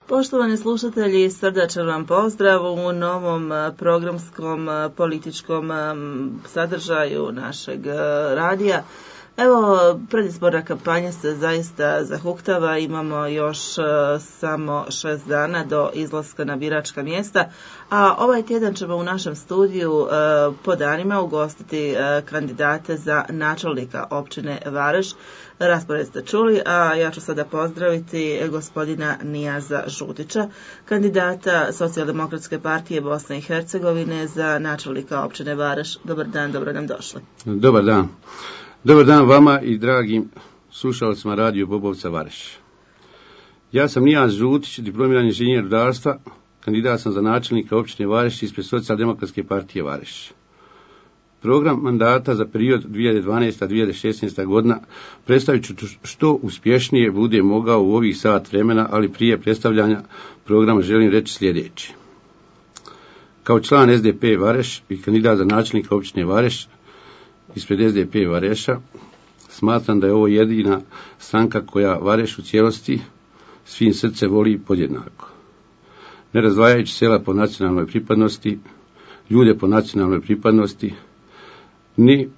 Poštovani slušatelji, srdačan vam pozdrav u novom programskom političkom sadržaju našeg radija. Evo, predizborna kampanja se zaista zahuktava, imamo još samo 6 dana do izlaska na biračka mjesta, a ovaj tjedan ćemo u našem studiju po danima ugostiti kandidate za načelnika općine Vareš. Raspored ste čuli, a ja ću sada pozdraviti gospodina Nijaza Žutića, kandidata Socijaldemokratske partije Bosne i Hercegovine za načelnika općine Vareš. Dobar dan, dobro nam došli. Dobar dan. Dobar dan vama i dragim slušalcima Radio Bobovca Vareš. Ja sam Nijaz Žutić, diplomirani inženjer rudarstva, kandidat sam za načelnika općine Vareš ispred Socijaldemokratske partije Vareš. Program mandata za period 2012-2016 godina predstavit ću što uspješnije bude mogao u ovih sat vremena, ali prije predstavljanja programa želim reći sljedeće. Kao član SDP Vareš i kandidat za načelnika općine Vareš ispred SDP Vareša, smatram da je ovo jedina stranka koja Vareš u cijelosti svim srce voli podjednako. Ne razdvajajući sela po nacionalnoj pripadnosti, ljude po nacionalnoj pripadnosti, ni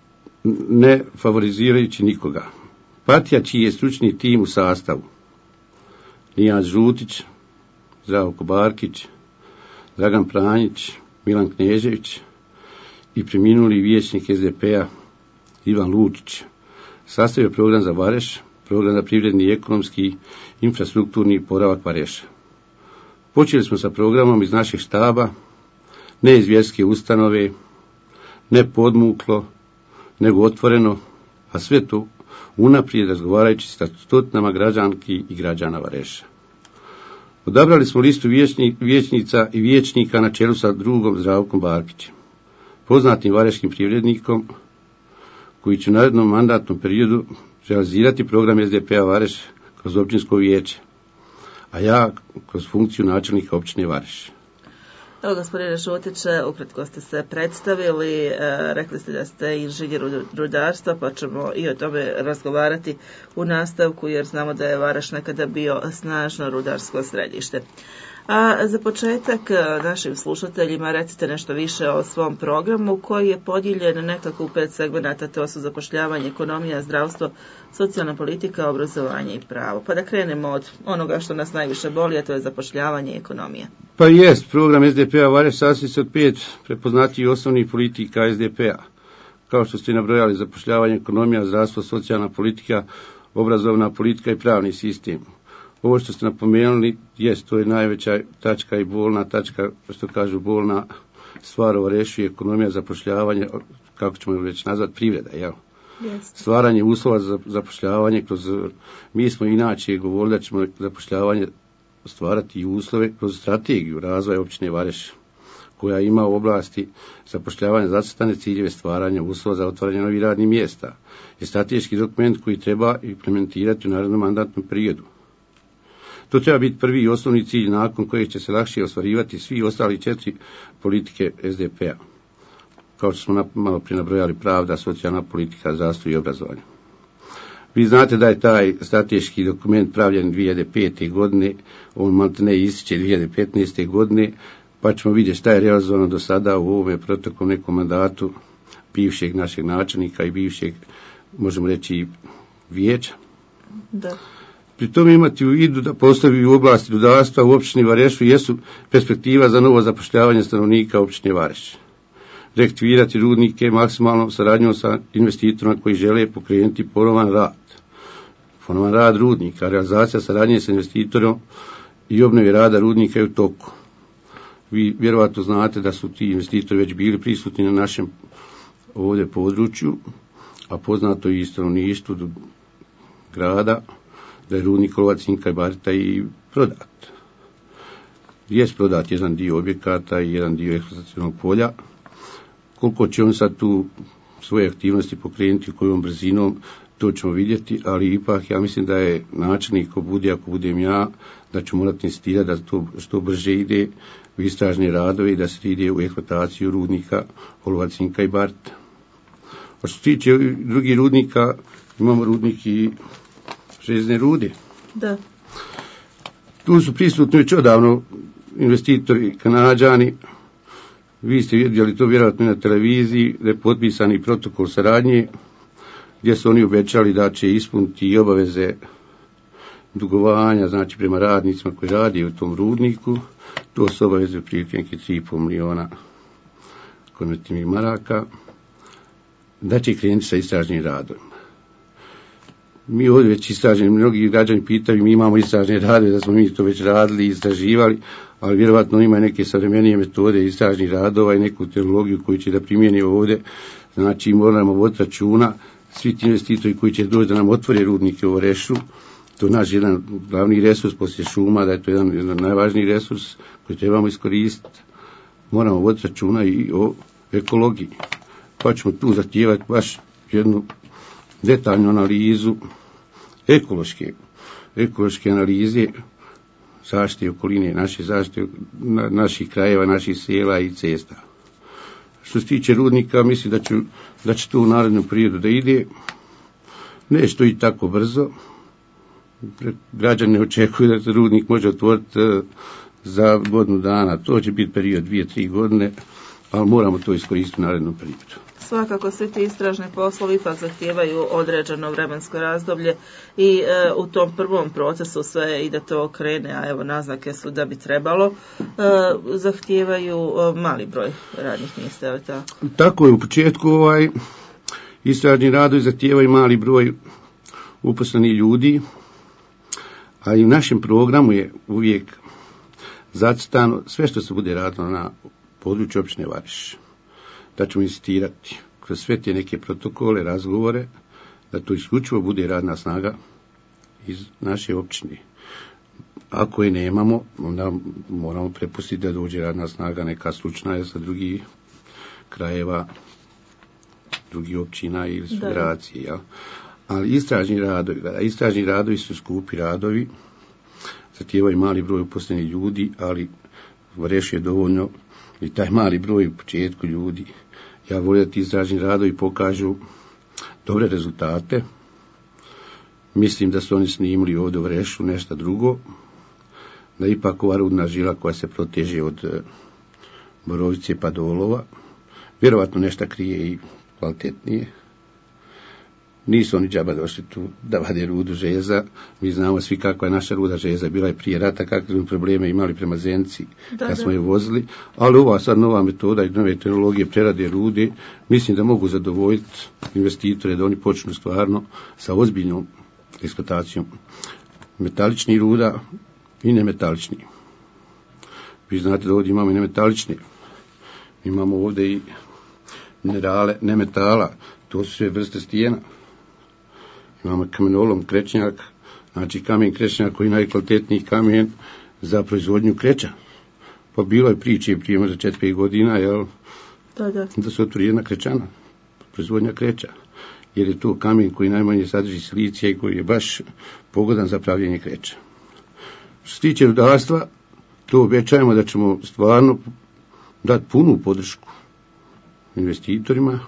ne favorizirajući nikoga. Partija čiji je stručni tim u sastavu: Nijaz Žutić, Zdravko Barkić, Dragan Pranjić, Milan Knežević i preminuli vijećnik SDP-a Ivan Lučić, sastavio program za Vareš, program za privredni i ekonomski infrastrukturni oporavak Vareša. Počeli smo sa programom iz našeg štaba, ne iz vjerske ustanove, ne podmuklo, nego otvoreno, a sve to unaprijed razgovarajući sa stotinama građanki i građana Vareša. Odabrali smo listu vijećnica i vijećnika na čelu sa drugom Zdravkom Barkićem, poznatim vareškim privrednikom, koji će u narednom mandatnom periodu realizirati program SDP-a Vareš kroz općinsko vijeće, a ja kroz funkciju načelnika općine Vareš. Evo, gospodine Žutiće, ukratko ste se predstavili, rekli ste da ste inženjer rudarstva, pa ćemo i o tome razgovarati u nastavku, jer znamo da je Vareš nekada bio snažno rudarsko središte. A za početak našim slušateljima recite nešto više o svom programu, koji je podijeljen nekako u 5 segmenata, to su zapošljavanje, ekonomija, zdravstvo, socijalna politika, obrazovanje i pravo. Pa da krenemo od onoga što nas najviše boli, a to je zapošljavanje i ekonomija. Pa jest, program SDP-a Vareš sastoji se od 5 prepoznatijih osnovnih politika SDP-a. Kao što ste nabrojali: zapošljavanje, ekonomija, zdravstvo, socijalna politika, obrazovna politika i pravni sistem. Ovo što ste napomenuli, jest, to je najveća tačka i bolna tačka, što kažu bolna stvar o Varešu, ekonomija, zapošljavanje, kako ćemo već nazvati, privreda, jel? Yes. Stvaranje uslova za zapošljavanje mi smo inače govorili da ćemo zapošljavanje stvarati i uslove kroz strategiju razvoja općine Vareš, koja ima u oblasti zapošljavanja zacrtane ciljeve stvaranja uslova za otvaranje novih radnih mjesta. Je strateški dokument koji treba implementirati u narednom mandatnom periodu. To treba biti prvi i osnovni cilj nakon kojeg će se lakše ostvarivati svi ostali 4 politike SDP-a. Kao što smo malo prije nabrojali: pravda, socijalna politika, zdravstvo i obrazovanje. Vi znate da je taj strateški dokument pravljen 2005. godine, on maltene ističe 2015. godine, pa ćemo vidjeti šta je realizovano do sada u ovome proteklom nekom mandatu bivšeg našeg načelnika i bivšeg, možemo reći, vijeća. Da. Pri tome imati u vidu da postoji u oblasti rudarstva u općini Varešu jesu perspektiva za novo zapošljavanje stanovnika općine Vareš. Reaktivirati rudnike maksimalnom saradnjom sa investitorima koji žele pokrenuti ponovan rad rudnika. Realizacija saradnje sa investitorom i obnovi rada rudnika je u toku. Vi vjerovatno znate da su ti investitori već bili prisutni na našem ovdje području, a poznato i stanovništvu grada da je rudnik Olovac, Cinka i Barita i prodat. Jest prodat jedan dio objekata i jedan dio eksploatacionog polja. Koliko će on sad tu svoje aktivnosti pokrenuti, kojom brzinom, to ćemo vidjeti, ali ipak ja mislim da je načelnik, ako budem ja, da ću morati insistirati da to što brže ide u istražne radove i da se ide u eksploataciju rudnika Olovac, Cinka i Barita. A što se tiče drugih rudnika, imamo rudnik i željezne rude. Da. Tu su prisutni već odavno investitori Kanađani. Vi ste vidjeli to vjerojatno na televiziji, da je potpisani protokol saradnje, gdje su oni obećali da će ispuniti i obaveze dugovanja, znači prema radnicima koji radi u tom rudniku. To su obaveze u prilike 3,5 miliona konvertibilnih maraka, da će krenuti sa istražnim radovima. Mi ovdje već istraženi, mnogi građani pitaju, mi imamo istražne radove, da smo mi to već radili, istraživali, ali vjerovatno ima neke savremenije metode istražnih radova i neku tehnologiju koju će da primijeni ovdje. Znači moramo voditi računa, svi ti investitori koji će doći da nam otvore rudnike u Orešu, to je naš jedan glavni resurs poslije šuma, da je to jedan najvažniji resurs koji trebamo iskoristiti. Moramo voditi računa i o ekologiji. Pa ćemo tu zahtijevati baš jednu detaljnu analizu ekološke analize zaštite okoline, naše zaštite naših krajeva, naših sela i cesta. Što se tiče rudnika, mislim da će to u narednom periodu da ide. Nešto i tako brzo. Građani ne očekuju da se rudnik može otvoriti za godinu dana. To će biti period 2-3 godine, ali moramo to iskoristiti u narednom periodu. Svakako svi ti istražni poslovi ipak zahtijevaju određeno vremensko razdoblje i u tom prvom procesu sve i da to krene, a evo naznake su da bi trebalo, zahtijevaju mali broj radnih mjesta, je li tako? Tako je, u početku istražni radovi zahtijevaju mali broj uposlenih ljudi, a i u našem programu je uvijek zacrtano sve što se bude radilo na području općine Vareš. Da ćemo insistirati kroz sve te neke protokole, razgovore, da to isključivo bude radna snaga iz naše općine. Ako je nemamo, onda moramo prepustiti da dođe radna snaga neka slučna sa drugih krajeva, drugih općina ili federacije. Ja. Ali istražni radovi su skupi radovi, zahtijevaju mali broj uposlenih ljudi, ali Vareš je dovoljno i taj mali broj u početku ljudi. Ja volim da ti istražni radovi pokažu dobre rezultate. Mislim da su oni snimili ovdje u Varešu nešto drugo, da ipak ova rudna žila koja se proteže od Borovice pa do Olova, vjerovatno nešto krije i kvalitetnije. Nisu oni džaba došli tu da vade rudu željeza. Mi znamo svi kakva je naša ruda željeza bila je prije rata, kakve smo probleme imali prema Zenci kad smo je vozili, ali ova sad nova metoda i nove tehnologije prerade rude, mislim da mogu zadovoljiti investitore da oni počnu stvarno sa ozbiljnom eksploatacijom metaličnih ruda i nemetaličnih. Vi znate da ovdje imamo i nemetalične, imamo ovdje i minerale nemetala, to su sve vrste stijena. Imamo kamenolom, krečnjak, znači kamen krečnjak koji je najkvalitetniji kamen za proizvodnju kreča. Pa bilo je priče prije možda 4-5 godina, jel? Da se otvori jedna krečana, proizvodnja kreča. Jer je to kamen koji najmanje sadrži silicija i koji je baš pogodan za pravljenje kreča. Što se tiče rudarstva, to obećajemo da ćemo stvarno dati punu podršku investitorima,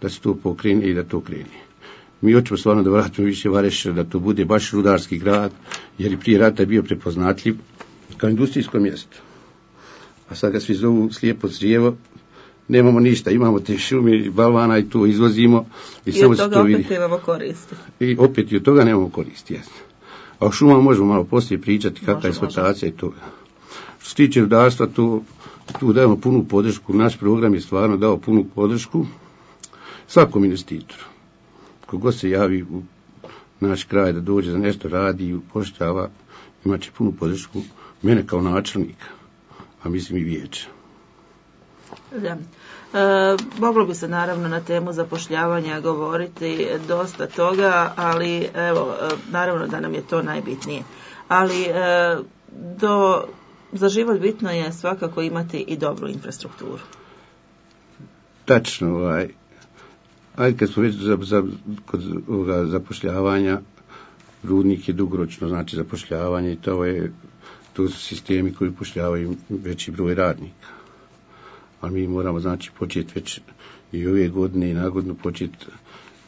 da se to pokrene i da to krene. Mi hoćemo stvarno da vratimo više Vareš, da to bude baš rudarski grad, jer i prije rata je bio prepoznatljiv kao industrijsko mjesto. A sad ga svi zovu slijepo crijevo, nemamo ništa, imamo te šume, balvana i to izvozimo. I samo od toga opet nemamo koristi. I opet i od toga nemamo koristi, jasno. A o šumama možemo malo poslije pričati kakva je eksploatacija i toga. Što se tiče rudarstva, tu dajemo punu podršku, naš program je stvarno dao punu podršku svakom investitoru. Kogod se javi u naš kraj da dođe za nešto radi i upošljava, imat će punu podršku mene kao načelnika, a mislim i vijeća. Da. Moglo bi se naravno na temu zapošljavanja govoriti dosta toga, ali evo, naravno da nam je to najbitnije. Ali za život bitno je svakako imati i dobru infrastrukturu. Tačno, ajde kad smo već kod ovoga zapošljavanja, rudnik je dugoročno, znači zapošljavanje i to su sistemi koji upošljavaju veći broj radnika. Ali mi moramo znači početi već i ove godine i nagodinu početi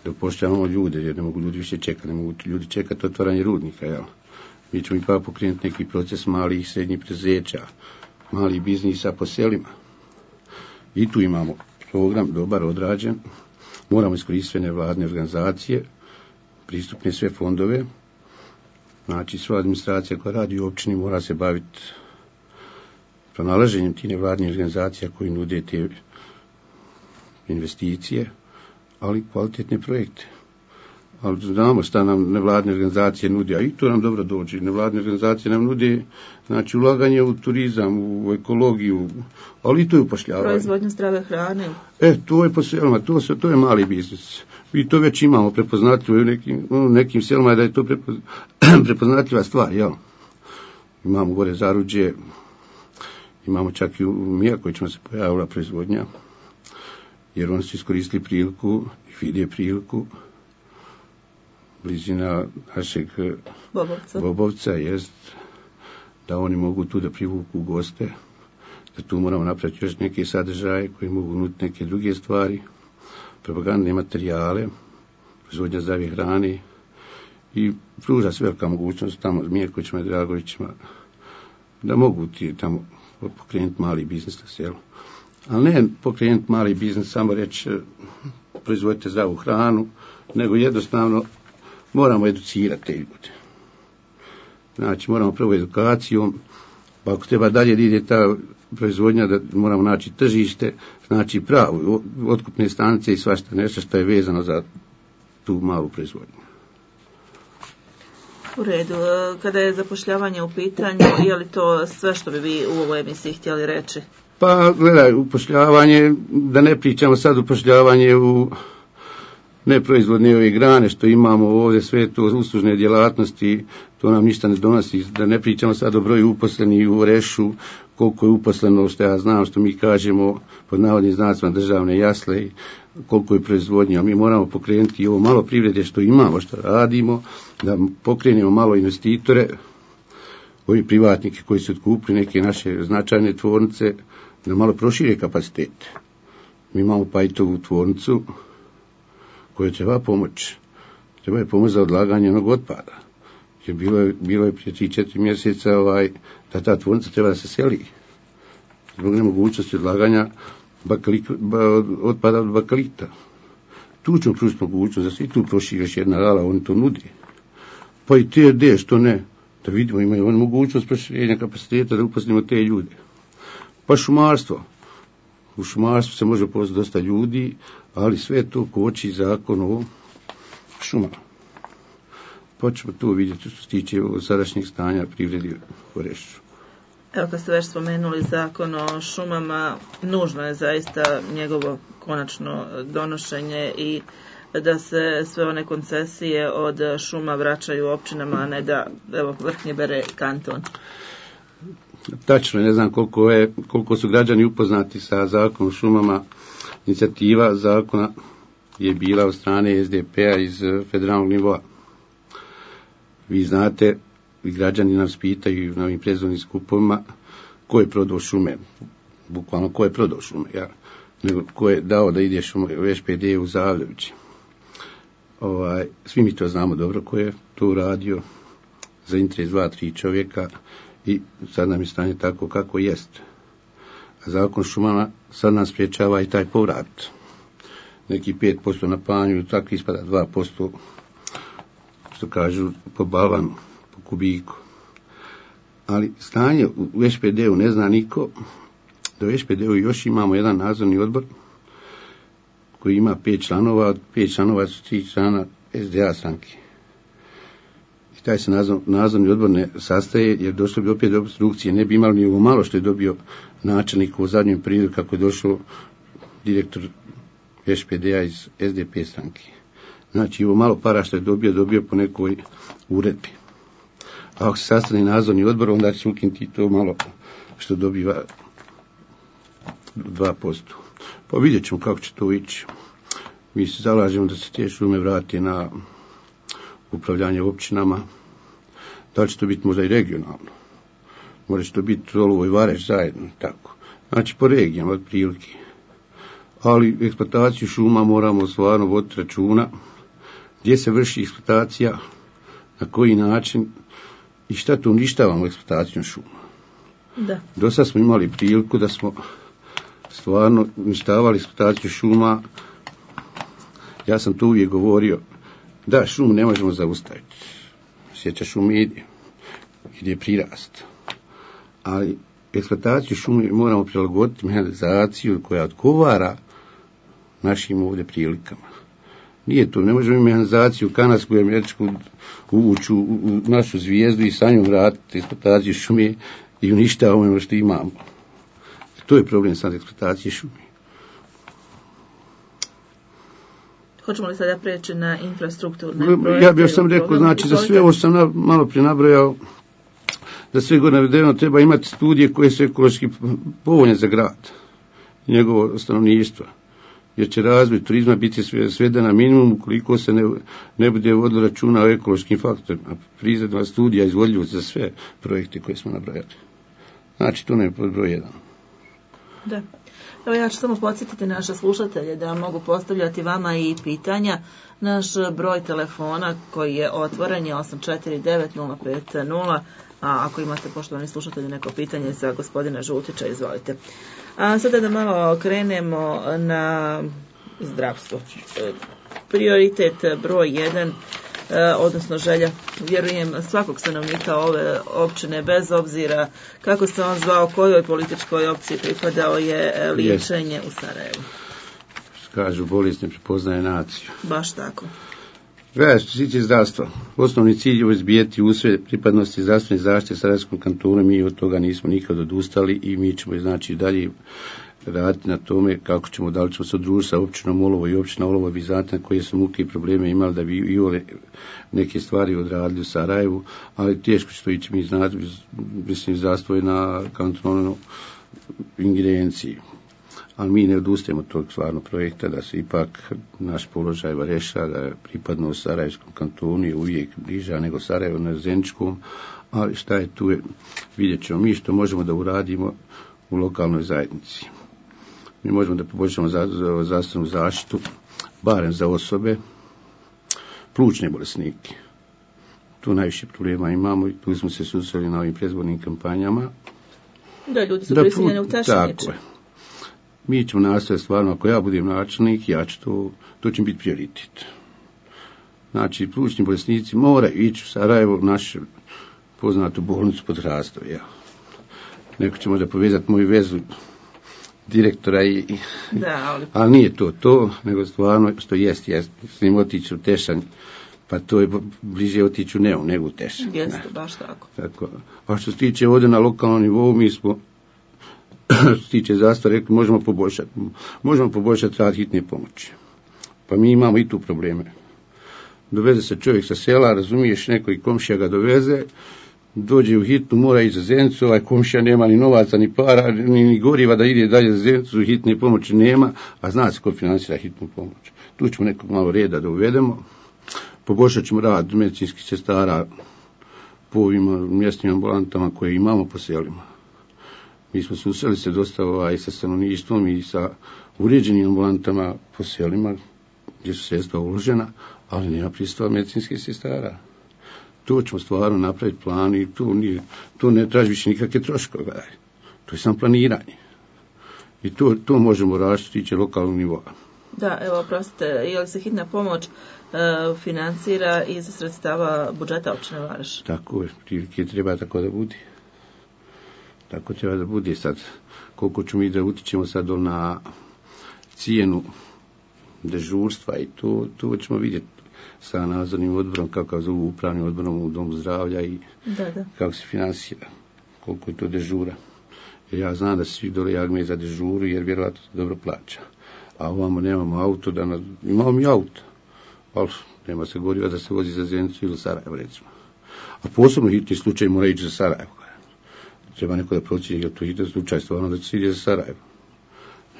da upošljavamo ljude, jer ne mogu ljudi više čekati, ne mogu ljudi čekati otvaranje rudnika, jel? mi ćemo ipak pokrenuti neki proces malih i srednjih preduzeća, malih biznisa po selima. I tu imamo program dobar odrađen, moramo iskoristiti sve nevladne organizacije, pristupne sve fondove, znači sva administracija koja radi u općini mora se baviti pronalaženjem tih nevladnih organizacija koji nude te investicije, ali kvalitetne projekte. Ali znamo šta nam nevladne organizacije nude, a i to nam dobro dođe. Nevladne organizacije nam nude, znači, ulaganje u turizam, u ekologiju, ali i to je upošljavanje. Proizvodnju zdrave hrane. To je po selima, to je mali biznis. I to već imamo prepoznatljivo u nekim selima, da je to prepoznatljiva stvar, jel? Imamo gore Zaruđe, imamo čak i u Mijakovićima se pojavila proizvodnja, jer oni su iskoristili priliku i vide priliku. Blizina našeg Bobovca jest da oni mogu tu da privuku goste, da tu moramo napraviti još neke sadržaje koji mogu nuditi neke druge stvari, propagandne materijale, proizvodnja zdrave hrane i pruža se velika mogućnost tamo Mirkovićima i Dragovićima da mogu ti tamo pokrenuti mali biznis na selu. Ali ne pokrenuti mali biznis, samo reći proizvodite zdravu hranu, nego jednostavno moramo educirati te ljude. Znači, moramo prvo edukacijom, pa ako treba dalje da ide ta proizvodnja, da moramo naći tržište, znači pravu, otkupne stanice i svašta nešto što je vezano za tu malu proizvodnju. U redu. Kada je zapošljavanje u pitanju, je li to sve što bi vi u ovoj emisiji htjeli reći? Pa, gledaj, upošljavanje, da ne pričamo sad upošljavanje u neproizvodne ove grane što imamo ovdje, sve to uslužne djelatnosti, to nam ništa ne donosi, da ne pričamo sad o broju uposlenih u Rešu, koliko je uposleno, što ja znam, što mi kažemo pod navodnim znacima državne jasle, koliko je proizvodnja. Mi moramo pokrenuti ovo malo privrede što imamo, što radimo, da pokrenemo malo investitore, ovi privatnike koji su otkupili neke naše značajne tvornice, da malo prošire kapacitete. Mi imamo Pajtovu tvornicu koje treba pomoći. Treba je pomoć za odlaganje onog otpada. Jer bilo je prije 3-4 mjeseca da ta tvornica treba da se seli. Zbog nemogućnosti odlaganja otpada od bakalita. Tu ćemo pružiti mogućnost da se i tu proširi još jedna hala, oni to nudi. Pa i TRD, što ne? Da vidimo, imaju oni mogućnost proširenja kapaciteta da uposlimo te ljude. Pa šumarstvo. U šumarstvu se može poslati dosta ljudi, ali sve to koči zakon o šumama. Pa ćemo tu vidjeti što se tiče sadašnjeg stanja privredi u Rešu. Evo, kad ste već spomenuli zakon o šumama, nužno je zaista njegovo konačno donošenje i da se sve one koncesije od šuma vraćaju općinama, a ne da Vrhnje bere kanton. Tačno, ne znam koliko su građani upoznati sa zakonom o šumama. Inicijativa zakona je bila od strane SDP-a iz federalnog nivoa. Vi znate, i građani nas pitaju na ovim predizbornim skupovima ko je prodao šume, bukvalno ko je prodao šume, nego ko je dao da ideš u SPD u Zavljevići. Svi mi to znamo dobro ko je to uradio za interes 2-3 čovjeka i sad nam je stanje tako kako jest. A zakon šumama sad nam spriječava i taj povrat. Neki 5% na panju, tako ispada 2%, što kažu, po balvanu, po kubiku. Ali stanje u SPD-u ne zna niko, da u SPD-u još imamo jedan nadzorni odbor koji ima 5 članova, od 5 članova su 3 člana SDA stranke. I taj se nadzorni odbor ne sastaje jer došlo bi opet do obstrukcije, ne bi imali ni ovo malo što je dobio načelnik u zadnjem periodu kako je došao direktor SPD-a iz SDP stranke. Znači, ovo malo para što je dobio po nekoj uredbi. A ako se sastane nadzorni odbor, onda će se ukinuti to malo što dobiva 2%. Pa vidjet ćemo kako će to ići. Mi se zalažemo da se te šume vrati na upravljanje općinama. Da li će to biti možda i regionalno? Može će to biti Solovo i Vareš zajedno, tako. Znači, po regijama, otprilike. Ali eksploataciju šuma moramo stvarno voditi računa gdje se vrši eksploatacija, na koji način I šta to uništavamo eksploatacijom šuma? Da. Do sad smo imali priliku da smo stvarno uništavali eksploataciju šuma. Ja sam to uvijek govorio, da šumu ne možemo zaustaviti. Sjeća šume ide prirast. Ali eksploataciju šume moramo prilagoditi mehanizaciju koja odgovara našim ovdje prilikama. Nije to, ne možemo mehanizaciju kanadsku i američku uvući u našu zvijezdu i sa njom vratiti eksploataciju šume i uništavamo ono što imamo. To je problem sad eksploatacije šume. Hoćemo li sada preći na infrastrukturne projekte? Ja bih još sam rekao, znači za sve ovo sam malo prije nabrojao, da sve gore navedeno treba imati studije koje su ekološki povoljne za grad i njegovo stanovništvo. Jer će razvoj turizma biti sveden na minimum ukoliko se ne bude vodilo računa o ekološkim faktorima. Prizadna studija izvodljivosti za sve projekte koje smo nabrojali. Znači, to ne je broj 1. Da. Evo ja ću samo podsjetiti naše slušatelje da mogu postavljati vama i pitanja. Naš broj telefona koji je otvoren je 849-050, a ako imate, poštovani slušatelji, neko pitanje za gospodina Žutića, izvolite. A sada da malo krenemo na zdravstvo. Prioritet broj 1, odnosno želja, vjerujem, svakog stanovnika ove općine, bez obzira kako se on zvao, kojoj političkoj opciji pripadao, je liječenje u Sarajevu. Kažu, bolest ne prepoznaje naciju. Baš tako. Što se tiče zdravstva, osnovni cilj je izbijeti usred pripadnosti zdravstvene zaštite Sarajevskom kantonu. Mi od toga nismo nikad odustali i mi ćemo znači dalje raditi na tome kako ćemo, da li ćemo se odružiti sa općinom Olovo i općina Olovo bi znate koje su muke i probleme imali da bi i ove neke stvari odradili u Sarajevu, ali teško će to ići, mi znate, mislim, zdravstvo je na kantonalnoj ingerenciji. Ali mi ne odustajemo od tog stvarno projekta, da se ipak naš položaj reša, da je pripadno Sarajevskom kantonu je uvijek bliža nego Sarajevo na Zeničkom, ali šta je tu, vidjet ćemo mi što možemo da uradimo u lokalnoj zajednici. Mi možemo da poboljšamo zdravstvenu zaštitu, barem za osobe, plućne bolesnike. Tu najviše problema imamo i tu smo se susreli na ovim predizbornim kampanjama. Da, ljudi su prisiljeni u tašniče. Tako je. Mi ćemo nastaviti stvarno, ako ja budem načelnik, ja ću to će biti prioritet. Znači, plućni bolesnici moraju ići u Sarajevo, našu poznatu bolnicu pod Hrastove. Ja. Neko će možda povezati moju vezu direktora ali nije to, nego stvarno što jest, s njim otići u Tešanj, pa to je bliže otići u Neum nego u Tešanj. Jeste, baš tako. A što se tiče ovdje na lokalnom nivou, mi smo što se tiče zdravstva, rekli, možemo poboljšati rad hitne pomoći. Pa mi imamo i tu probleme. Doveze se čovjek sa sela, razumiješ, neko i komšija ga doveze, dođe u hitnu, mora ići za Zenicu, ovaj komšija nema ni novaca, ni para, ni goriva da ide dalje za Zenicu, hitne pomoći nema, a zna se ko financira hitnu pomoć. Tu ćemo nekog malo reda da uvedemo, poboljšat ćemo rad medicinskih sestara po ovim mjesnim ambulantama koje imamo po selima. Mi smo susreli se dosta sa stanovništvom i sa uređenim ambulantama po selima gdje su sredstva uložena, ali nema pristupa medicinskih sestara. To ćemo stvarno napraviti plan i to ne traži više nikakve troškove. To je samo planiranje. I to možemo raditi što tiče lokalnog nivoa. Da, evo, oprostite, je li se hitna pomoć financira iz sredstava budžeta općine Vareš? Tako je, prilike treba tako da bude. Tako treba da bude sad. Koliko ćemo mi da utičemo sad na cijenu dežurstva i to ćemo vidjeti sa nadzornim odborom, kako zovu upravnim odborom u Domu zdravlja i kako se finansira, koliko je to dežura. Jer ja znam da se svi dole jagme za dežuru jer vjerojatno se dobro plaća. A ovamo nemamo auto, imamo mi auto, ali nema se goriva da se vozi za Zenicu ili Sarajevo, recimo. A posebno hitni slučaj mora ići za Sarajevo. Treba neko da procjeni, jer to hitan slučaj stvarno da će se ide za Sarajevo.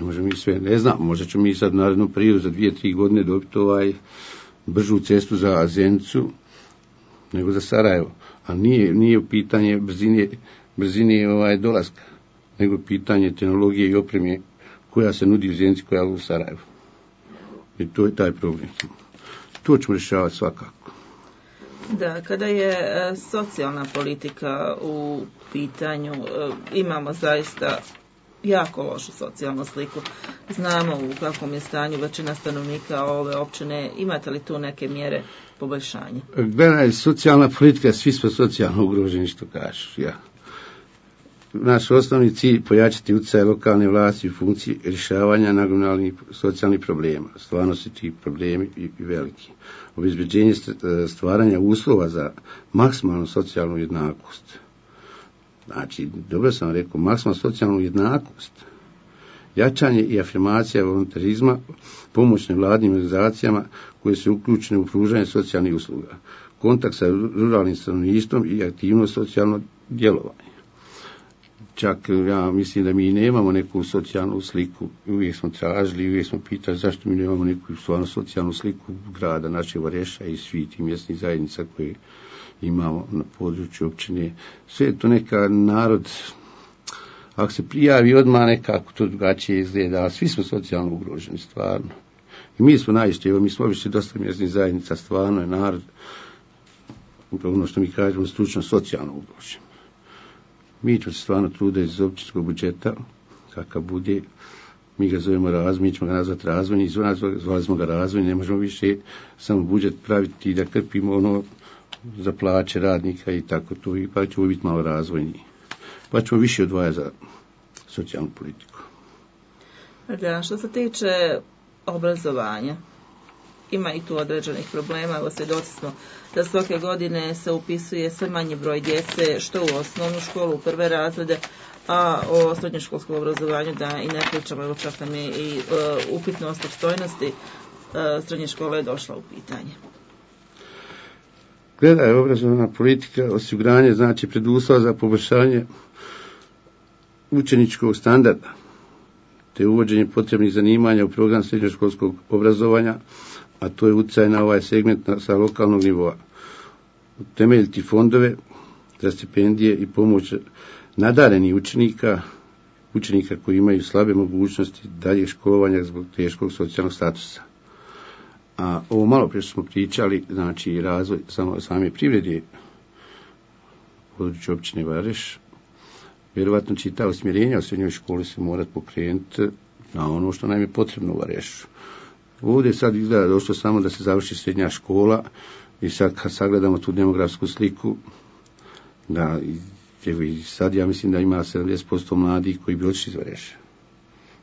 Ne možemo mi sve, ne znam, možda ćemo mi sad narednom periodu za 2-3 godine dobiti bržu cestu za Zenicu nego za Sarajevo. A nije u pitanje brzine dolaska, nego pitanje tehnologije i opreme koja se nudi u Zenici, koja je u Sarajevu. I to je taj problem. To ćemo rješavati svakako. Da, kada je socijalna politika u pitanju, imamo zaista jako lošu socijalnu sliku. Znamo u kakvom je stanju većina stanovnika ove općine. Imate li tu neke mjere poboljšanja? Gledaj, socijalna politika, svi smo socijalno ugroženi, što kažeš. Ja. Naš osnovni cilj pojačati utjecaj lokalne vlasti u funkciji rješavanja nagomilanih socijalnih problema. Stvarno su ti problemi i veliki. Obezbeđenje stvaranja uslova za maksimalnu socijalnu jednakost. Znači, dobro sam rekao, maksimalnu socijalnu jednakost. Jačanje i afirmacija volontarizma, pomoć nevladinim organizacijama koje su uključene u pružanje socijalnih usluga. Kontakt sa ruralnim stanovništvom i aktivno socijalno djelovanje. Čak ja mislim da mi nemamo neku socijalnu sliku. Uvijek smo tražili, uvijek smo pitali zašto mi nemamo neku stvarno socijalnu sliku grada našeg Vareša i svih tih mjesnih zajednica koje imamo na području općine. Sve je to neka narod, ako se prijavi odmah nekako to drugačije izgleda, ali svi smo socijalno ugroženi, stvarno. I mi smo najviše, evo mi smo obišli dosta mjesnih zajednica, stvarno je narod, ono što mi kažemo, stručno socijalno ugrožen. Mi ćemo se stvarno truditi iz općinskog budžeta, kakav bude, mi ga zovemo razvoj, mi ćemo ga nazvati razvojni, zvali smo ga razvojni, ne možemo više samo budžet praviti i da krpimo ono za plaće radnika i tako to, pa ćemo biti malo razvojni. Pa ćemo više odvajati za socijalnu politiku. Da, što se tiče obrazovanja, ima i tu određenih problema, evo svjedoci smo da svake godine se upisuje sve manji broj djece, što u osnovnu školu, u prve razrede, a o srednjoškolskom obrazovanju da i ne pričamo, evo čak nam je i upitnost opstojnosti srednje škole je došla u pitanje. Gledaj, obrazovna politika, osiguranje, znači preduslov za poboljšanje učeničkog standarda, te uvođenje potrebnih zanimanja u program srednjoškolskog obrazovanja, a to je utjecaj na ovaj segment sa lokalnog nivoa. Temeljiti fondove za stipendije i pomoć nadarenih učenika koji imaju slabe mogućnosti daljeg školovanja zbog teškog socijalnog statusa. A ovo malo prije smo pričali, znači razvoj same privrede u području općine Vareš. Vjerovatno će ta usmjerenja u srednjoj školi se morati pokrenuti na ono što nam je potrebno u Varešu. Ovdje sad izgleda došlo samo da se završi srednja škola i sad kad sagledamo tu demografsku sliku, da i sad ja mislim da ima 70% mladih koji bi otišli iz Vareša.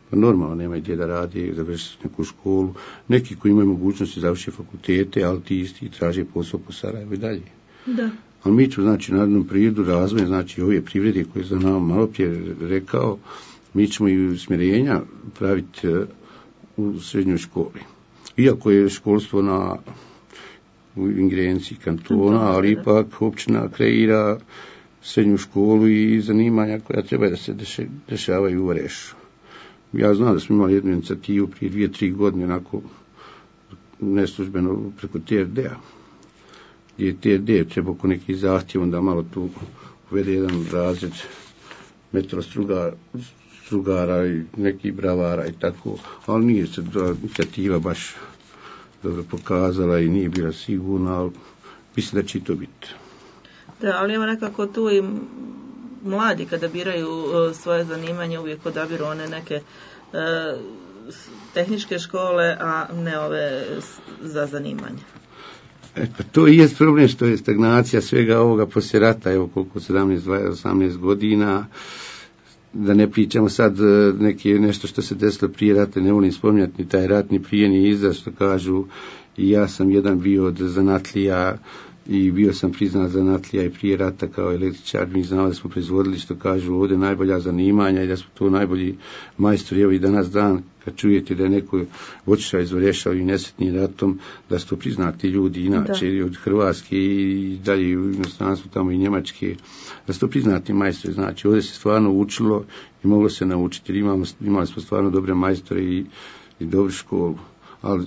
Pa normalno nemaju gdje da radi, završiti neku školu. Neki koji imaju mogućnosti završiti fakultete, ali ti isti traže posao po Sarajevu i dalje. Da. Ali mi ćemo, znači, narodnom prirodu razvoja, znači, ove privrede koje sam nam malo prije rekao, mi ćemo i usmjerenja praviti u srednjoj školi. Iako je školstvo u ingerenciji kantona, ali ipak općina kreira srednju školu i zanimanja koja treba da se dešavaju u Varešu. Ja znam da smo imali jednu inicijativu prije 2-3 godine, onako neslužbeno preko TRD-a. Gdje TRD treba oko nekih zahtjeva, onda malo tu uvede jedan razred metrostrugara i nekih bravara i tako, ali nije se inicijativa baš dobro pokazala i nije bila sigurna, ali mislim da će to biti. Da, ali evo nekako tu i mladi kada biraju svoje zanimanje uvijek odabiru one neke tehničke škole, a ne ove za zanimanje. Pa to i je problem što je stagnacija svega ovoga poslije rata, evo koliko 17-18 godina, da ne pričamo sad nešto što se desilo prije rata, ne volim spominjati ni taj rat, ni prije, ni iza, što kažu, i ja sam jedan bio od zanatlija i bio sam priznat zanatlija i prije rata kao električar, mi znamo da smo proizvodili, što kažu, ovdje najbolja zanimanja i da smo tu najbolji majstori. Evo i danas dan, kad čujete da je neko otišao iz Vareša i nesretnim ratom, da su to priznati ljudi, inače da. Od Hrvatske i dalje u inostranstvu, tamo i Njemačke, da su to priznati majstori. Znači, ovdje se stvarno učilo i moglo se naučiti, jer imali smo stvarno dobre majstore i dobru školu, ali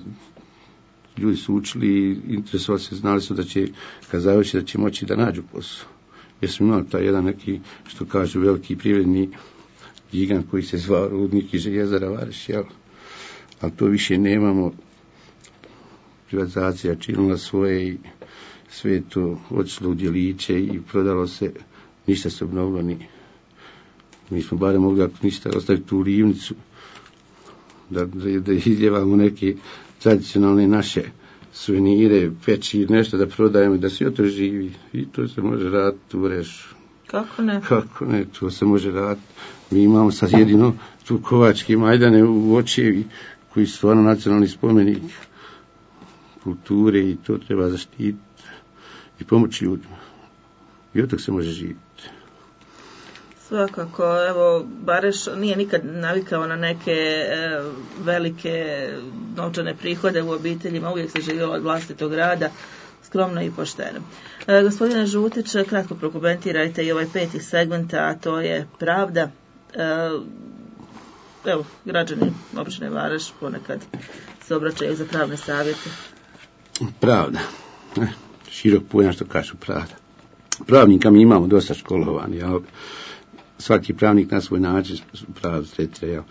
ljudi su učili i interesovali se, znali su da će, kad završi, da će moći da nađu posao. Jer smo imali taj jedan neki, što kažu, veliki privredni gigant koji se zvao Rudnik i željezara Vareš, jel? Ali to više nemamo. Privatizacija činila svoje i sve to otišlo u djeliće i prodalo se, ništa se obnovilo ni. Mi smo barem mogli ako ništa ostaviti tu rivnicu, da izljevamo neke tradicionalne naše suvenire, peći, nešto da prodajemo, da se to živi. I to se može raditi u Rešu. Kako ne? Kako ne, to se može raditi. Mi imamo sad jedino tu kovačke majdane u Očevi, koji su stvarno nacionalni spomenik kulture i to treba zaštititi i pomoći ljudima. I od toga se može živjeti. Svakako, evo, Bareš nije nikad navikao na neke velike novčane prihode u obiteljima, uvijek se živjelo od vlastitog rada, skromno i pošteno. Gospodine Žutić, kratko prokomentirajte i ovaj 5. segment, a to je pravda. Evo, građani općine Vareš ponekad se obraćaju za pravne savjete. Pravda. Širok pojam što kažu pravda. Pravnika mi imamo dosta školovani, ali svaki pravnik na svoj način pravdu tretira.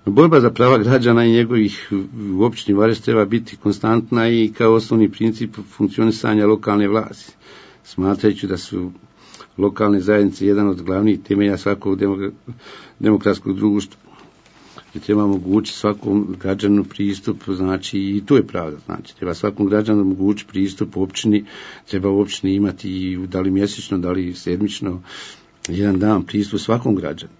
Borba za prava građana i njegovih u općini Vareš treba biti konstantna i kao osnovni princip funkcionisanja lokalne vlasti. Smatrajući da su lokalne zajednice jedan od glavnih temelja svakog demokratskog društva. I treba omogućiti svakom građanu pristup, znači i to je pravda, znači treba svakom građanu omogućiti pristup općini, treba u općini imati i da li mjesečno, da li sedmično, jedan dan pristup svakom građanu.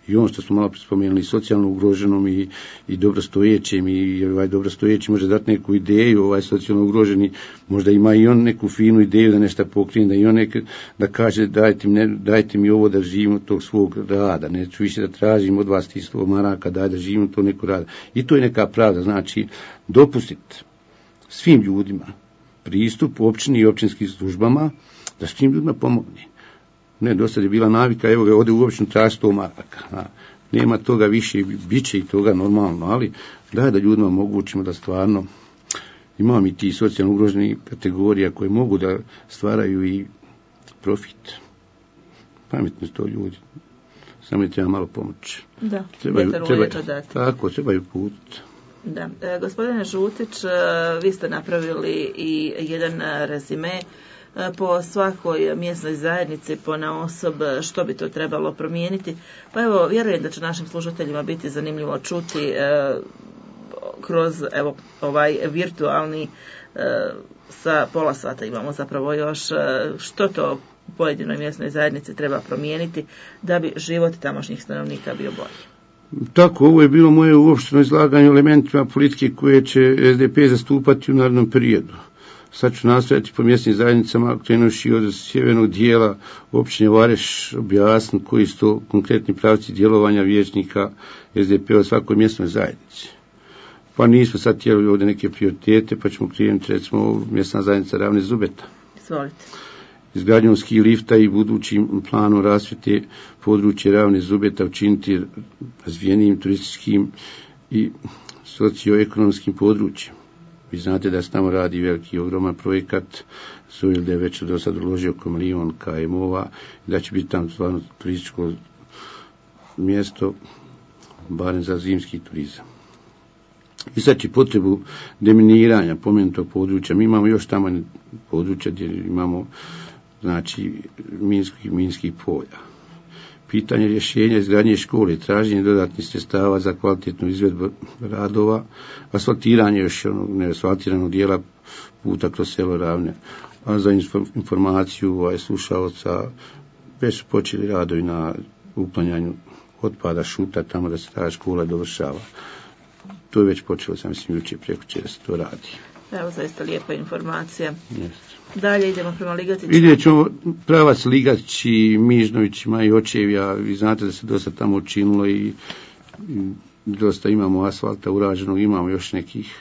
I ono što smo malo spomenuli, socijalno ugroženom i dobrostojećem, i ovaj dobrostojeći može dati neku ideju, ovaj socijalno ugroženi možda ima i on neku finu ideju da nešto pokrije, da i on da kaže dajte mi ovo da živimo tog svog rada, neću više da tražim od vas 100 maraka, daj da živimo to neko rada. I to je neka pravda, znači dopustiti svim ljudima pristup općini i općinskim službama, da svim ljudima pomogne. Ne, do sad je bila navika, evo ga, ode u općinu traži 100 maraka. Nema toga više, bit će i toga normalno, ali da ljudima omogućimo da stvarno imamo i ti socijalno ugroženi kategorija koje mogu da stvaraju i profit. Pametni su to ljudi. Samo je treba malo pomoći. Da, trebaju put. Da. Gospodine Žutić, vi ste napravili i jedan rezime po svakoj mjesnoj zajednici, ponaosob što bi to trebalo promijeniti. Pa evo, vjerujem da će našim slušateljima biti zanimljivo čuti kroz ovaj virtualni sa pola sata imamo zapravo još što to u pojedinoj mjesnoj zajednici treba promijeniti da bi život tamošnjih stanovnika bio bolji. Tako, ovo je bilo moje uopšteno izlaganje elementima politike koje će SDP zastupati u narednom periodu. Sad ću nastojati po mjesnim zajednicama, krenuši od sjevernog dijela općine Vareš, objasniti koji su to konkretni pravci djelovanja vijećnika SDP-a u svakoj mjesnoj zajednici. Pa nismo sad htjeli ovdje neke prioritete, pa ćemo krenuti recimo mjesna zajednica Ravne Zubeta. Izvolite. Izgradnjom ski lifta i budućim planom rasvjete područje Ravne Zubeta učiniti razvijenijim turističkim i socioekonomskim područjem. Vi znate da se tamo radi veliki ogroman projekat, Sojil da je već do sad uložio oko milion KM-ova, da će biti tamo stvarno turističko mjesto, barem za zimski turizam. I sad će potrebu deminiranja pomenutog područja. Mi imamo još tamo područja gdje imamo znači minskih polja. Pitanje rješenja izgradnje škole, traženje dodatnih sredstava za kvalitetnu izvedbu radova, asfaltiranje još neasfaltiranog dijela puta kroz selo Ravne. A za informaciju slušaoca već su počeli radovi na uklanjanju otpada šuta tamo da se ta škola dovršava. To je već počelo, sam mislim, jučer prekjučer da se to radi. Evo, zaista lijepa informacija. Jeste. Dalje idemo prema Ligatićima. Vidjet ćemo pravac Ligatići, Mižnovićima i Očevja. Vi znate da se dosta tamo učinilo i dosta imamo asfalta urađenog, imamo još nekih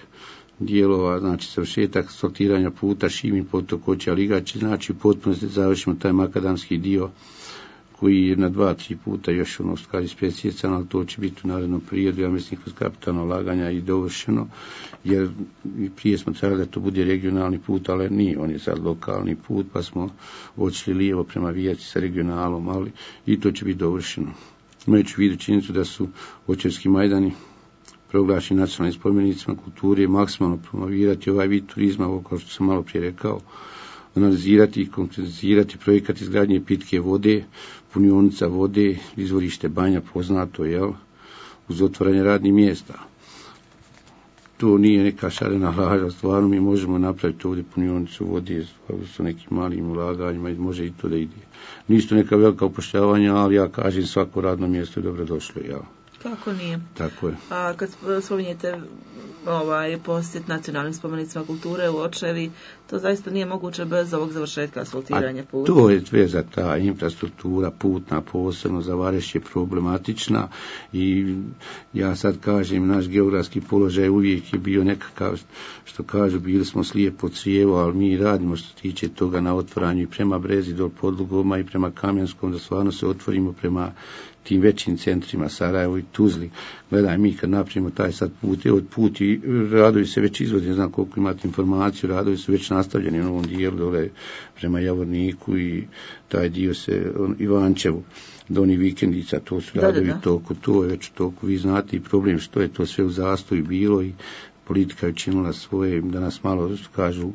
dijelova, znači završetak asfaltiranja puta Šimin potok Očeja Ligaći, znači u potpunosti završimo taj makadamski dio koji je na 2-3 puta još kad je specijecan, ali to će biti u narednom periodu, ja mislim kroz kapitalno ulaganja i dovršeno, jer prije smo trebali da to bude regionalni put, ali nije, on je sad lokalni put, pa smo odšli lijevo prema Vijaci sa regionalom, ali i to će biti dovršeno. Imajući u vidu činjenicu da su Očevski majdani proglašeni nacionalnim spomenicima kulture, maksimalno promovirati ovaj vid turizma, ovo kao što sam malo prije rekao, analizirati i konkretizirati projekat izgradnje pitke vode, punionica vode, izvorište Banja poznato, uz otvaranje radnih mjesta. To nije neka šarena laža, stvarno mi možemo napraviti ovdje punionicu vode sa nekim malim ulaganjima i može i to da ide. Nisu neka velika upošljavanja, ali ja kažem svako radno mjesto je dobro došlo, Kako nije? Tako je. A kad spominjete posjet nacionalnim spomenicima kulture u Očevi, to zaista nije moguće bez ovog završetka asfaltiranja puta. To je veza, ta infrastruktura putna posebno za Vareš je problematična i ja sad kažem, naš geografski položaj uvijek je bio nekakav, što kažu, bili smo slijepo crijevo, ali mi radimo što tiče toga na otvaranju i prema Brezi do Podlugoma i prema Kamenskom, da stvarno se otvorimo prema tim većim centrima, Sarajevo i Tuzli. Gledaj, mi kad napravimo taj sad put i radovi se već izvode, ne znam koliko imate informaciju, radovi su već nastavljeni u ovom dijelu dole prema Javorniku i taj dio se Ivančevu, Doni Vikendica, to su radovi toliko, to je već toliko, vi znate i problem što je to sve u zastoju bilo i politika je učinila svoje, da nas malo kažu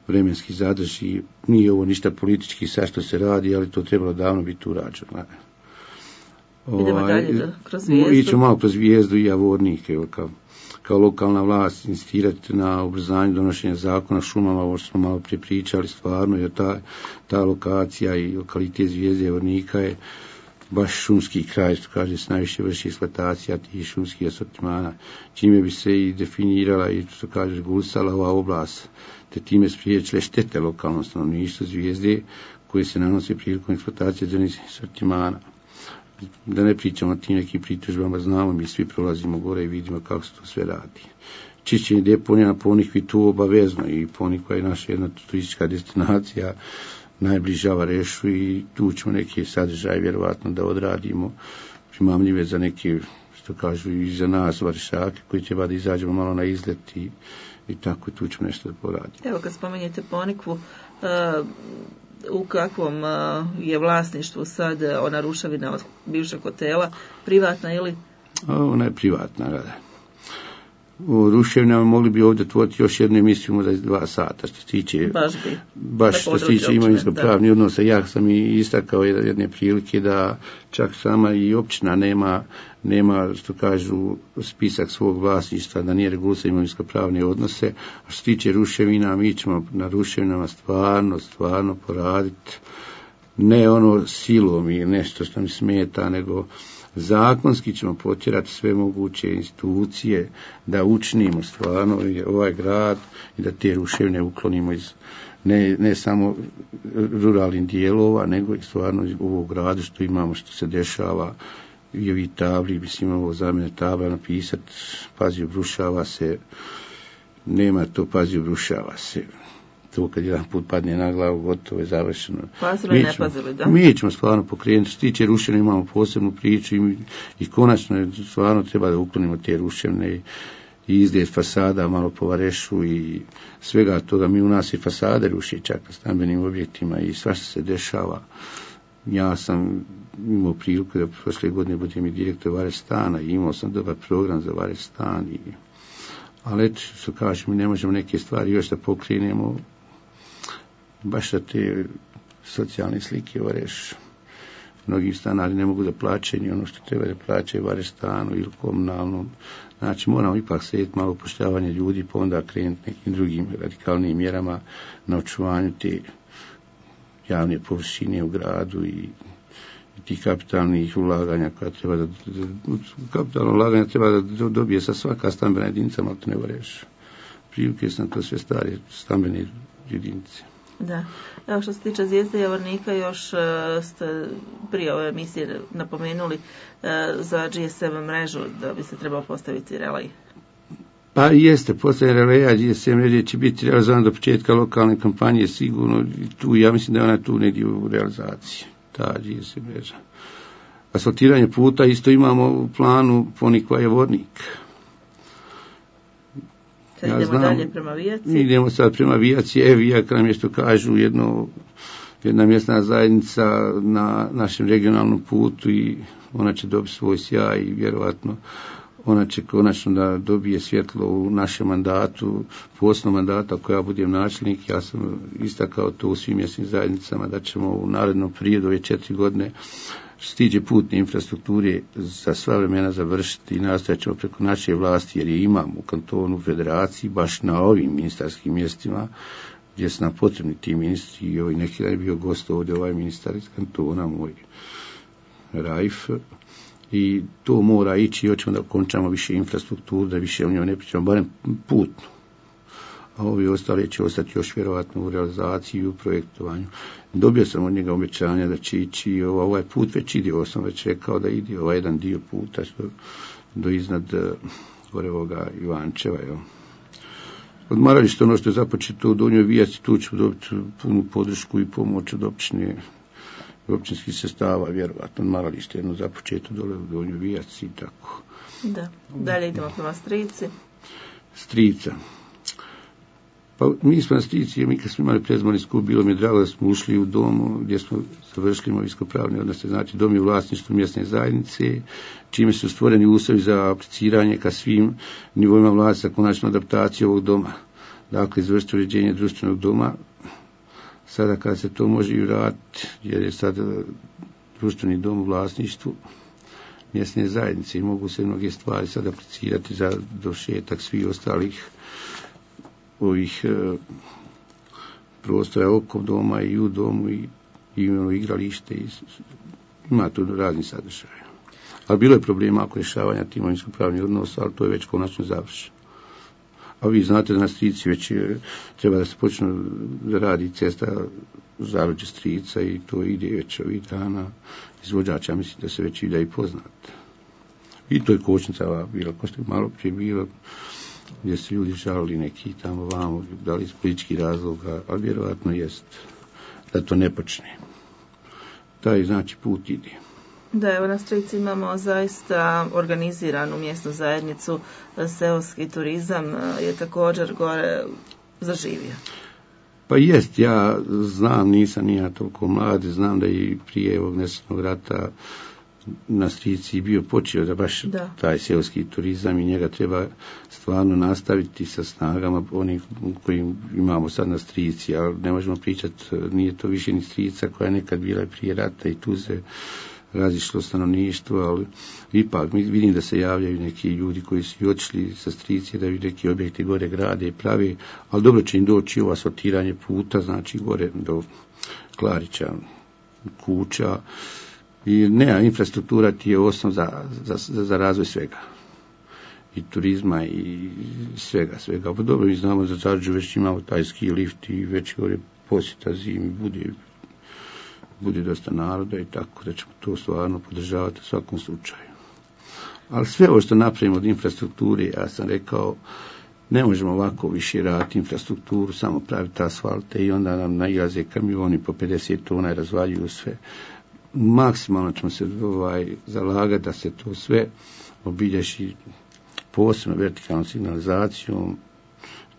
vremenski zadrži, nije ovo ništa politički sad što se radi, ali to trebalo davno biti urađeno. Idemo dalje kroz Zvijezdu. Ićemo malo kroz Zvijezdu i Javornik, kao lokalna vlast insistirati na ubrzanju donošenja zakona šumama, ovo što smo malo prije pričali, stvarno, jer ta lokacija i lokalitet Zvijezde i Javornika je baš šumski kraj, što kaže se najviše vrši eksploatacija tih šumskih asortimana, čime bi se i definirala i što kaže regulisala ova oblast, te time spriječile štete lokalnom stanovništvu Zvijezde koje se nanose prilikom eksploatacije drvenih asortimana. Da ne pričamo o tim nekim pritužbama, znamo, mi svi prolazimo gore i vidimo kako se to sve radi. Čišćenje deponija na Ponikvi tu obavezno i Ponikva je naša jedna turistička destinacija, najbliža Varešu i tu ćemo neke sadržaje vjerovatno da odradimo, primamljive za neke, što kažu i za nas Varešake, koji treba da izađemo malo na izlet i tako tu ćemo nešto da poradimo. Evo kad spomenjete Ponikvu, u kakvom je vlasništvu sad ona ruševina od bivšeg hotela, privatna ili? Ona je privatna, da. U ruševinama mogli bi ovdje otvoriti još jednu emisiju, možda 2 sata, što se tiče, baš što se tiče imovinsko-pravnih odnosa. Ja sam i istakao jedne prilike da čak sama i općina nema, što kažu, spisak svog vlasništva, da nije regulisao imovinsko-pravne odnose. A što se tiče ruševina, mi ćemo na ruševinama stvarno poraditi, ne ono silom i nešto što mi smeta, nego zakonski ćemo potjerati sve moguće institucije da učinimo stvarno ovaj grad i da te ruševine uklonimo iz ne samo ruralnih dijelova, nego i stvarno u ovog gradu što imamo, što se dešava i ovi tabli, mislim ovo zamjene tabla napisati, pazi obrušava se, nema to pazi obrušava se. To kad jedan put padne na glavu, gotovo je završeno. Pazili, ne pazili, da? Mi ćemo stvarno pokrenuti. Što tiče ruševine, imamo posebnu priču i konačno stvarno treba da uklonimo te ruševine i izgled fasada malo po Varešu i svega toga. Mi u nas i fasade ruši čak na stambenim objektima i svašta se dešava. Ja sam imao priliku da prošle godine budem i direktor Vareš stana i imao sam dobar program za Vareš stan. Ali eto, što kažem, mi ne možemo neke stvari još da pokrenemo baš da te socijalne slike Vareš. Mnogi stanari ne mogu da plaćaju ono što treba da plaćaju Vareš stanu ili komunalnom. Znači moramo ipak sjediti malo upošljavanje ljudi pa onda krenuti nekim drugim radikalnim mjerama na očuvanju te javne površine u gradu i tih kapitalnih ulaganja koja treba da kapitalno ulaganja treba da dobije sa svaka stambena jedinica, malo to ne Vareš. Prilike su na to sve stare stambene jedinice. Da. Evo što se tiče Zvijezde Javornika, još ste prije ove emisije napomenuli za GSM mrežu da bi se trebao postaviti relej. Pa jeste, postavljanje releja GSM mreže će biti realizovan do početka lokalne kampanje sigurno. Tu, ja mislim da je ona tu negdje u realizaciji, ta GSM mreža. Asfaltiranje puta isto imamo u planu Ponikva Javornik. Sad idemo dalje prema Vijaci. Idemo sad prema Vijaci. Vijak nam je što kažu jedna mjesna zajednica na našem regionalnom putu i ona će dobiti svoj sjaj i vjerovatno ona će konačno da dobije svjetlo u našem mandatu, posebno mandata ako ja budem načelnik. Ja sam istakao to u svim mjesnim zajednicama da ćemo u narednom periodu ove 4 godine što se tiče putne infrastrukture za sva vremena završiti i nastojat ćemo preko naše vlasti, jer je imamo u kantonu, u federaciji, baš na ovim ministarskim mjestima gdje su nam potrebni ti ministri. I neki dan je bio gost ovdje ovaj ministar iz kantona, moj Raif, i to mora ići i hoćemo da končamo više infrastrukturu, da više o njoj ne pričamo, barem putnu. A ovi ostali će ostati još vjerovatno u realizaciji i u projektovanju. Dobio sam od njega obećanja da će ići ovaj put, već ide, ovo sam već rekao da ide ovaj jedan dio puta do iznad gore ovoga Ivančeva. Odmaralište, ono što je započeto u Donjoj Vijaci, tu ću dobiti punu podršku i pomoć od općinskih sestava, vjerovatno. Odmaralište jedno započeto dole u Donjoj Vijaci i tako. Da, dalje idemo prema Strici. Strica. Pa mi smo na Strici, mi kad smo imali predizborni skup, bilo mi je drago da smo ušli u dom gdje smo završili imovinsko-pravne odnose, znači dom je u vlasništvu mjesne zajednice, čime su stvoreni uslovi za apliciranje ka svim nivoima vlasti za konačnu adaptaciju ovog doma. Dakle, izvršiti uređenje društvenog doma, sada kada se to može i vratiti, jer je sad društveni dom u vlasništvu mjesne zajednice i mogu se mnoge stvari sad aplicirati za dovršetak svih ostalih ovih prostora oko doma i u domu i igralište i ima tu razni sadržaje. Ali bilo je problema oko rješavanja tih imovinsko-pravnih odnosa, ali to je već konačno završeno. A vi znate da na Strici već treba da se počne da radi cesta Zaruđe Strica i to ide već ovih dana. Izvođača mislim da se već ide i poznat. I to je kočnica bila, ko što je malo prije bilo, gdje su ljudi žalili neki tamo vamo, da li iz političkih razloga, ali vjerovatno jest da to ne počne. Taj znači put ide. Da, evo na Strici imamo zaista organiziranu mjesnu zajednicu, seoski turizam je također gore zaživio. Pa jest, ja znam, nisam ja toliko mlad, znam da i prije ovog nesretnog rata na Strici bio počeo da baš taj seoski turizam i njega treba stvarno nastaviti sa snagama onih koji imamo sad na Strici, ali ne možemo pričati, nije to više ni Strica koja je nekad bila prije rata i tu se razišlo stanovništvo, ali ipak vidim da se javljaju neki ljudi koji su i otišli sa Strici da bi neki objekti gore grade i pravi, ali dobro će im doći ovo asfaltiranje puta, znači gore do Klarića, kuća. I infrastruktura ti je osnov za razvoj svega. I turizma i svega. Pa dobro, mi znamo za Zaruđu već imamo taj ski lift i već gore posjeta zimi, bude dosta naroda i tako da ćemo to stvarno podržavati u svakom slučaju. Ali sve ovo što napravimo od infrastrukture, ja sam rekao, ne možemo ovako više raditi infrastrukturu, samo praviti asfalte i onda nam nailaze kamioni po 50 tona i razvaljuju sve. Maksimalno ćemo se zalagati da se to sve obilježi posebno vertikalnom signalizacijom,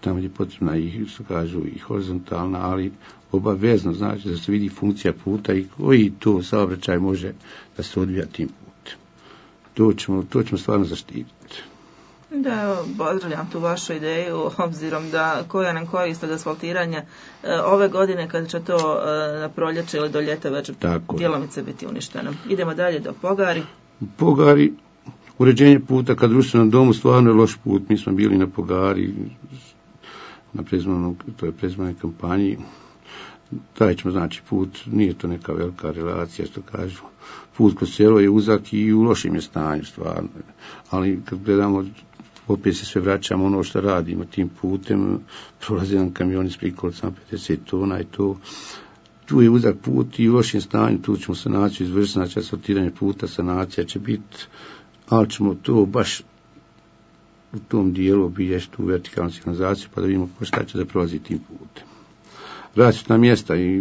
tamo gdje je potrebna i, što kažu, i horizontalna, ali obavezno znači da se vidi funkcija puta i koji to saobraćaj može da se odvija tim putem. To ćemo stvarno zaštititi. Da, pozdravljam tu vašu ideju, obzirom da koja nam korist od asfaltiranja ove godine kad će to na proljeće ili do ljeta već djelomice biti uništeno. Idemo dalje do Pogari. Pogari, uređenje puta kad društvenom domu stvarno je loš put. Mi smo bili na Pogari, na predizbornoj kampanji. Taj ćemo znači put, nije to neka velika relacija što kažu. Put kroz selo je uzak i u lošim je stanju stvarno. Ali kad gledamo, opet se sve vraćamo ono što radimo tim putem, prolazi nam kamioni s prikolicama 50 tona i to. Tu je uzak put i u lošim stanju, tu ćemo sanaciju izvršiti, znači asfaltiranje puta, sanacija će biti, ali ćemo to baš u tom dijelu obilježiti tu vertikalnu signalizaciju pa da vidimo šta će da prolazi tim putem. Rasvjetna mjesta i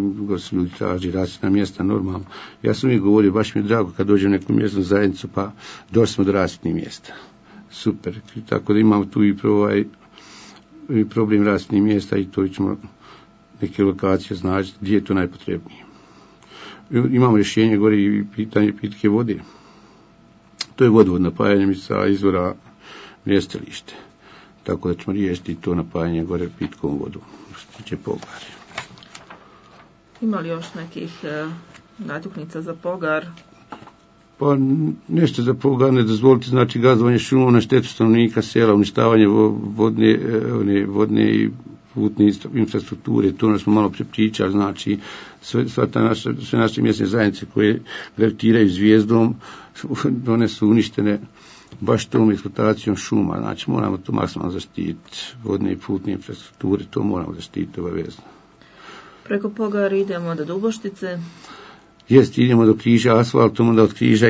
ljudi traži rasvjetna mjesta normalno. Ja sam uvijek govorio, baš mi je drago kad dođem u neku mjesnu zajednicu pa došli smo do rasvjetnih mjesta. Super. Tako da imamo tu i problem rasvjetnih mjesta i to ćemo neke lokacije znači gdje je to najpotrebnije. Imamo rješenje gore i pitanje pitke vode. To je vodovod napajanje sa izvora mjestilište. Tako da ćemo riješiti to napajanje gore pitkom vodom, što se tiče Pogari. Ima li još nekih natuknica za Pogar? Pa nešto za Pogar ne dozvoliti, znači gazdovanje šumom na štetu stanovnika sela, uništavanje vodne i putne infrastrukture, to smo malo prepričali, znači sve naše mjesne zajednice koje gravitiraju zvijezdom, one su uništene baš tom eksploatacijom šuma, znači moramo to maksimalno zaštititi, vodne i putne infrastrukture, to moramo zaštititi obavezno. Preko Pogara idemo do Duboštice. Jest, idemo do Križa asfaltom, onda od Križa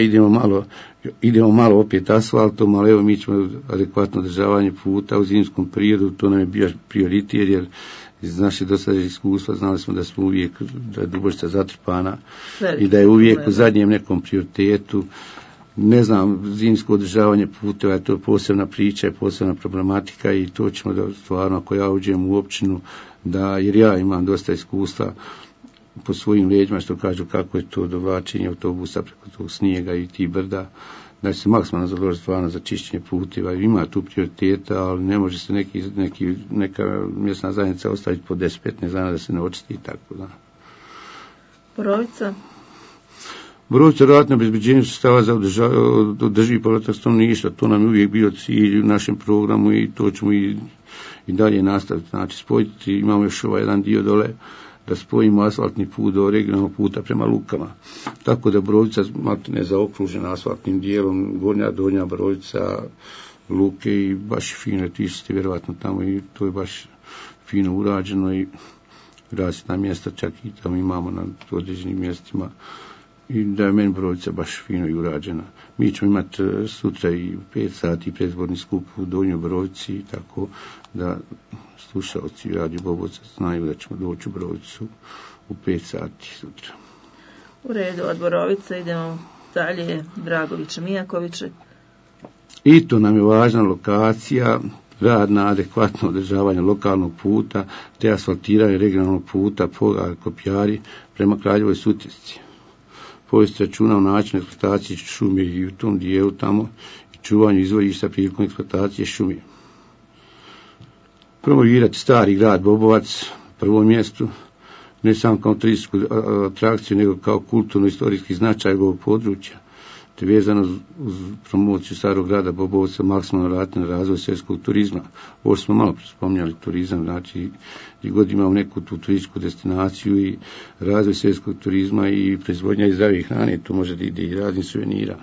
idemo malo opet asfaltom, ali evo mi ćemo adekvatno održavanje puta u zimskom periodu, to nam je bio prioritet, jer iz naše dosadašnje iskustva znali smo da smo uvijek, da je Duboštica zatrpana i da je uvijek u zadnjem nekom prioritetu. Ne znam, zimsko održavanje puteva je to posebna priča, posebna problematika i to ćemo da stvarno, ako ja uđem u općinu, jer ja imam dosta iskustva po svojim leđima, što kažu kako je to dovlačenje autobusa preko tog snijega i ti brda, da se maksimalno založi stvarno za čišćenje puteva. Ima tu prioriteta, ali ne može se neka mjesna zajednica ostaviti po 10-15 dana da se ne očisti i tako da. Borovica? Borovica rad na obezbeđenju sredstava za održivi povratak stanovništva, to nam je uvijek bio cilj u našem programu i to ćemo i dalje nastaviti. Znači spojiti, imamo još ovaj jedan dio dole, da spojimo asfaltni put do regionalnog puta prema Lukama. Tako da Borovica ne zaokružena asfaltnim dijelom, gornja, donja Borovica, Luke i baš fino, ti ste vjerovatno tamo i to je baš fino urađeno i rasvjetna mjesta čak i tamo imamo na određenim mjestima i da je meni Borovica baš fino i urađena. Mi ćemo imati sutra i 5 sati predizborni skup u Donjoj Borovici, tako da slušalci Radio Bobovca znaju da ćemo doći u Borovicu u 5 sati sutra. U redu, od Borovice idemo dalje, Dragoviće, Mijakoviće. I to nam je važna lokacija, rad na adekvatno održavanje lokalnog puta, te asfaltiranje regionalnog puta Pogar Kopjari prema Kraljevoj Sutjesci. Povesti računa o načinu eksploatacije šume i u tom dijelu tamo i čuvanju izvorišta prilikom eksploatacije šume. Promovirati stari grad Bobovac, prvom mjestu, ne samo kao turističku atrakciju, nego kao kulturno-istorijski značaj ovog područja, te vezano uz promociju starog grada Bobovca maksimalno raditi na razvoj seoskog turizma. Ovo smo malo spominjali turizam, znači gdje god imamo neku tu turističku destinaciju i razvoj seoskog turizma i proizvodnja i zdrave hrane, to može da ide i raznih suvenira.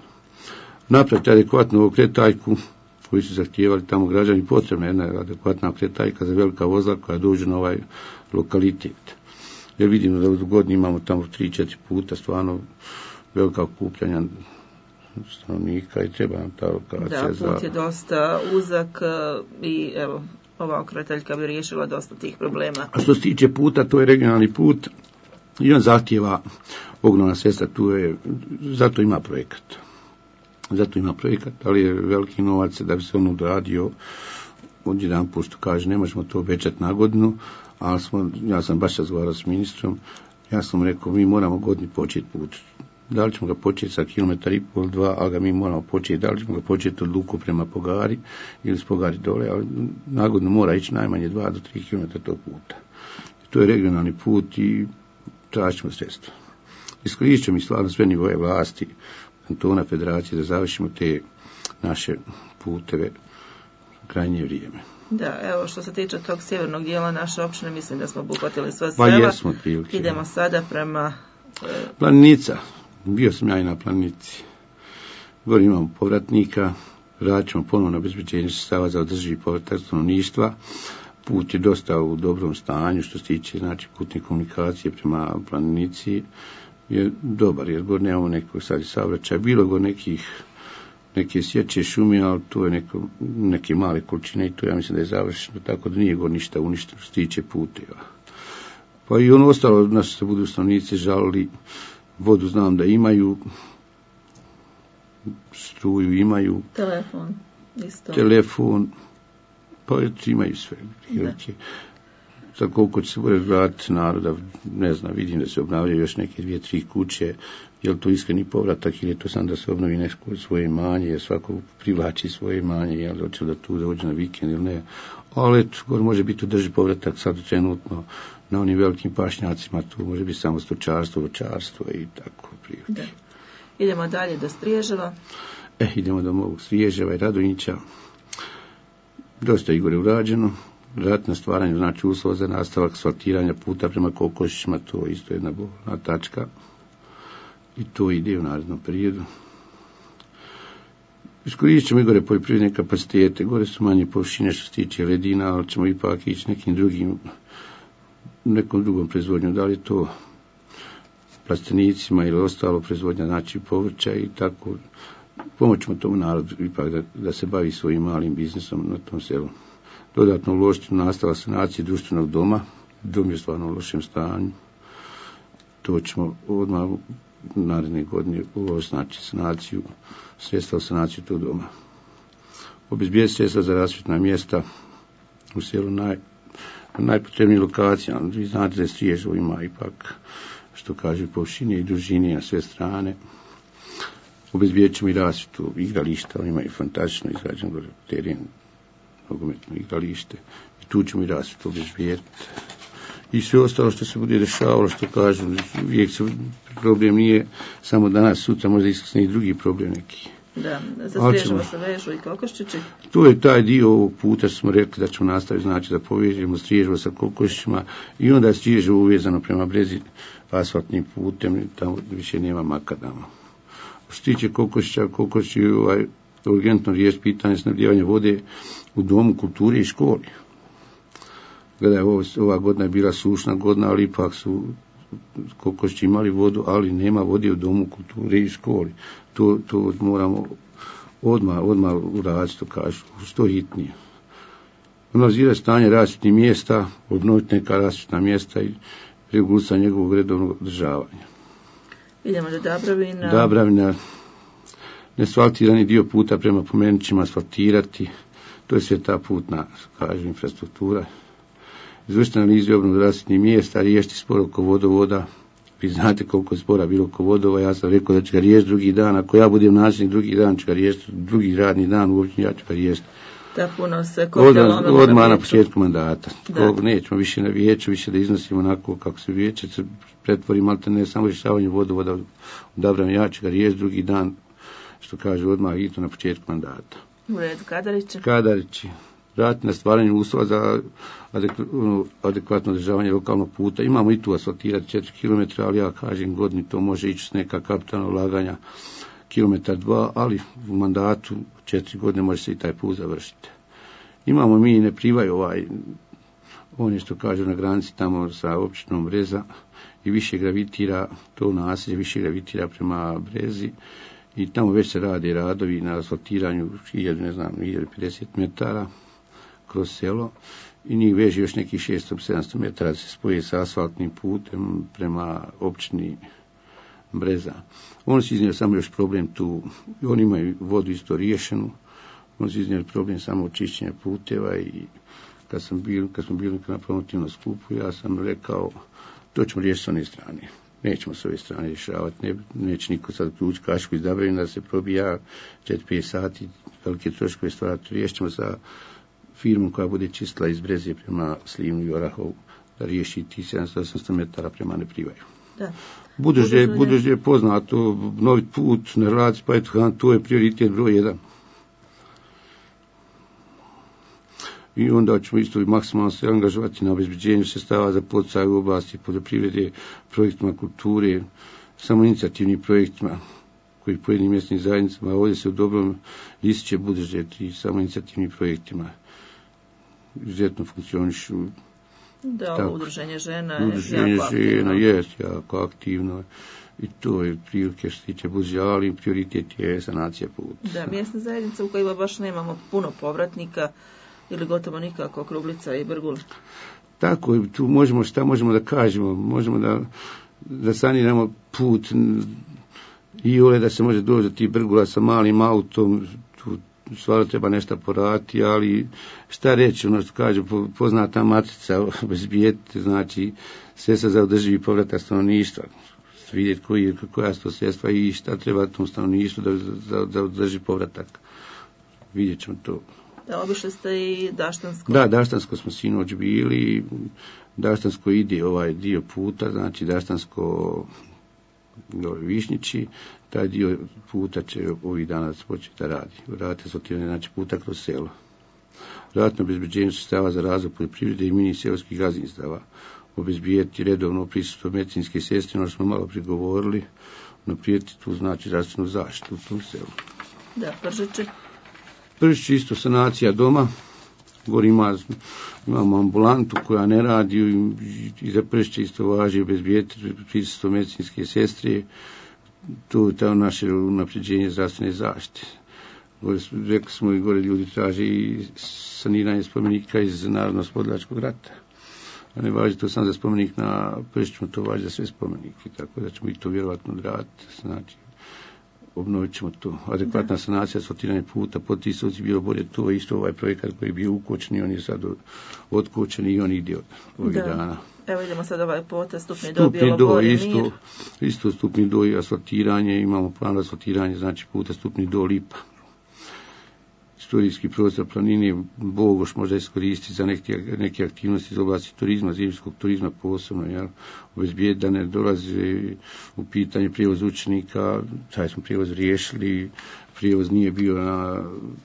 Napraviti adekvatnu okretaljku koji su zahtijevali tamo građani, potrebna jedna adekvatna okretaljka za velika vozila koja dođu na ovaj lokalitet. Jer vidimo da u godini imamo tamo 3-4 puta stvarno velika okupljanja stanovnika i treba nam ta lokacija. Da, put je dosta uzak i evo, ova okretaljka bi riješila dosta tih problema. A što se tiče puta, to je regionalni put i on zahtijeva ogromna sredstva, zato ima projekat. Ali je veliki novac da bi se on odradio odjedan put, što kaže, ne možemo to obećati na godinu, ali ja sam baš razgovarao s ministrom, ja sam rekao, mi moramo godini početi put. Da li ćemo ga početi sa 1,5 km, 2, ali ga mi moramo početi, da li ćemo ga početi od Luku prema Pogari ili s Pogari dole, ali na godinu mora ići najmanje 2 do 3 km tog puta. To je regionalni put i tražimo sredstva. Iskoristit ćemo i stvarno sve nivoje vlasti, kantona, federacije, da završimo te naše puteve krajnje vrijeme. Da, evo što se tiče tog sjevernog dijela naše općine, mislim da smo obuhvatili sve sela. Pa jesmo, prilike. Idemo sada prema... Planica. Bio sam ja i na Planici. Gore imamo povratnika, radit ćemo ponovno na obezbeđenje sredstava za održivi povratak stanovništva. Put je dosta u dobrom stanju što se tiče znači putne komunikacije prema Planici. Je dobar, jer gore nemamo nekog sad saobraćaja. Bilo go neke sječe šume, ali to je neke male količine i to ja mislim da je završeno, tako da nije go ništa uništeno što se tiče puteva. Pa i ono ostalo, naši se budu stanovnici žalili, vodu znam da imaju, struju imaju, telefon, pa imaju sve. za koliko će se vratiti naroda, ne znam, vidim da se obnavljaju još neke 2-3 kuće, je li to iskreni povratak ili je to sam da se obnovi neko svoje imanje, jer svako privlači svoje imanje, je li hoće da tu dođe na vikend ili ne, ali eto, može biti održi povratak sad trenutno na onim velikim pašnjacima, tu može biti samo stočarstvo, voćarstvo i tako prilike. Idemo dalje do Striježeva. Idemo do mog Striježeva i Radonjića. Dosta je gore urađeno. Rad na stvaranju znači uslova za nastavak asfaltiranja puta prema Kokošićima, to je isto jedna bolna tačka. I to ide u narednom periodu. Iskoristit ćemo i gore poljoprivredne kapacitete. Gore su manje površine što se tiče ledina, ali ćemo ipak ići nekom drugom proizvodnjom. Da li je to plastenicima ili ostalo proizvodnja, znači povrća i tako. Pomoćemo tomu narodu ipak da se bavi svojim malim biznisom na tom selu. Dodatno uložiti u nastavak sanacije društvenog doma. Dom je stvarno u lošem stanju. To ćemo odmah naredne godine uložiti, znači sanaciju, sredstva u sanaciju tog doma. Obezbijediti sredstva za rasvjetna mjesta u selu najpotrebnijih lokacija. Vi znate da je Striježevo ima ipak, što kaže, površine i dužine na sve strane. Obezbijedit ćemo i rasvjetu igrališta, oni imaju fantastično izgrađen teren, nogometno igralište, i tu ćemo i rasvjetu obezbijediti. I sve ostalo što se bude dešavalo, što kažu, uvijek se problem nije samo danas, sutra možda iskrsne i drugi problem neki. Da, za Striježevo se vežu i Kokoščići. To je taj dio ovog puta što smo rekli da ćemo nastaviti, znači da povežemo Striježevo sa Kokošićima i onda je Striježevo uvezano prema Brezi asfaltnim putem, tamo više nema makadama. Što se tiče Kokošića, Kokošić je urgentno riješiti pitanje snabdijevanja vode u domu kulture i školi. Gledaj, ova godina je bila sušna godina, ali ipak su Kokošići imali vodu, ali nema vode u domu kulture i školi. To moramo odmah uraditi, to kažu, što hitnije. Analizirati stanje rasvjetnih mjesta, obnoviti neka rasvjetna mjesta i regulisati njegovog redovnog održavanja. Idemo do Dabravina. Dabravina, neasfaltirani dio puta prema Pomenićima asfaltirati, to je sve ta putna, kažu, infrastruktura. Izvršiti analizu obnovu rasvjetnih mjesta, riješiti spor oko vodovoda. Vi znate koliko je spora bilo oko vodova, ja sam rekao da ću ga riješiti drugi dan, ako ja budem načelnik drugi dan, ću ga riješiti drugi radni dan, uopće ja ću ga riješiti. Da, puno se koplja odmah na početku mandata. Nećemo više na vijeću, više da iznosimo onako kako se vijeće se pretvori, malte ne samo rješavanje vodovoda odabram, ja ću ga riješiti drugi dan, što kaže odmah i to na početku mandata. U redu, Kadarići. Raditi na stvaranju uslova za adekvatno održavanje lokalnog puta. Imamo i tu asfaltirati 4 km, ali ja kažem godini to može ići s neka kapitalna ulaganja kilometar 2, ali u mandatu 4 godine može se i taj put završiti. Imamo mi ne privaj on je što kažu na granici tamo sa općinom Breza i više gravitira, to naselje više gravitira prema Brezi i tamo već se rade radovi na asfaltiranju 1050 metara kroz selo i njih veže još nekih 600-700 metara da se spoje sa asfaltnim putem prema općini Breza. Oni su iznijeli samo još problem tu, oni imaju vodu isto riješenu, oni su iznijeli problem samo očišćenja puteva i kad smo bili na promotivnom skupu, ja sam rekao, to ćemo riješiti s one strane. Nećemo s ove strane rješavati, neće niko sad ući kašku iz Dabravina da se probija 4-5 sati, velike troškove stvarati, riješit ćemo sa firmom koja bude čistila iz Breze prema Slivnu i Orahovu, da riješi ti 700-800 metara prema Neprivaju. Da. Budući je poznato, novi put na relaciji Pajtuhan, to je prioritet broj 1. I onda ćemo isto maksimalno se angažovati na obezbeđenju sredstava za poticaj u oblasti poljoprivrede, projektima kulture, samo inicijativnim projektima koji pojedinim mjesnim zajednicama, a ovdje se u dobrom ističe budžet i samo inicijativnim projektima. Izuzetno funkcionišu. Da, udruženje žena je jako aktivno i to je prilike što se tiče budžeta, ali prioritet je sanacija puta. Da, mjesna zajednica u kojima baš nemamo puno povratnika ili gotovo nikako, Kruglica i Brgul. Tako je, tu možemo da kažemo, možemo da saniramo put i da se može doći do tih Brgula sa malim autom, tu stvarno treba nešto poraditi, ali šta reći, ono što kaže poznata matrica obezbijeti, znači sredstva za održivi povratak stanovništva, vidjeti koja su to sredstva i šta treba tom stanovništvu da održi povratak. Vidjet ćemo to. Da, obišli ste i Daštansko. Da, Daštansko smo sinoć bili, Daštansko ide ovaj dio puta, znači Daštansko Višnjići, taj dio puta će ovih dana početi da radi. Radite sortiranje, znači puta kroz selo. Ratno obezbeđenje sredstava za razvoj poljoprivrede i mini seoskih gazdinstava. Obezbijeti redovno prisustvo medicinske sestre, ono što smo malo prigovorili, naprijeti tu znači zdravstvenu zaštitu u tom selu. Da, Pržići. Pržići isto sanacija doma. Gore imamo ambulantu koja ne radi i za Pržići isto važi obezbijeti prisustvo medicinske sestre. Tu je to naše unapređenje zdravstvene zaštite. Rekli smo i gore ljudi traži i saniranje spomenika iz Narodno-oslobodilačkog rata. A ne važi to sam za spomenik na Pržiću, to važi za sve spomenike, tako da ćemo i to vjerovatno odraditi. Znači, obnovit ćemo to. Adekvatna sanacija, sortiranje puta, potisoci, bilo bolje to, isto ovaj projekat koji je bio ukočen i on je sad otkočen i on ide ovih dana. Evo idemo sad ovaj potez, stupni do Bjelogorje, Mir. Isto stupni do i asfaltiranje, imamo plan asfaltiranje, znači puta stupni do Lipa. Istorijski prostor planine Bogoš možda iskoristiti za neke aktivnosti iz oblasti turizma, zimskog turizma posebno, jel? Obezbijeti da ne dolaze u pitanje prijevoz učenika, taj smo prijevoz riješili, prijevoz nije bio na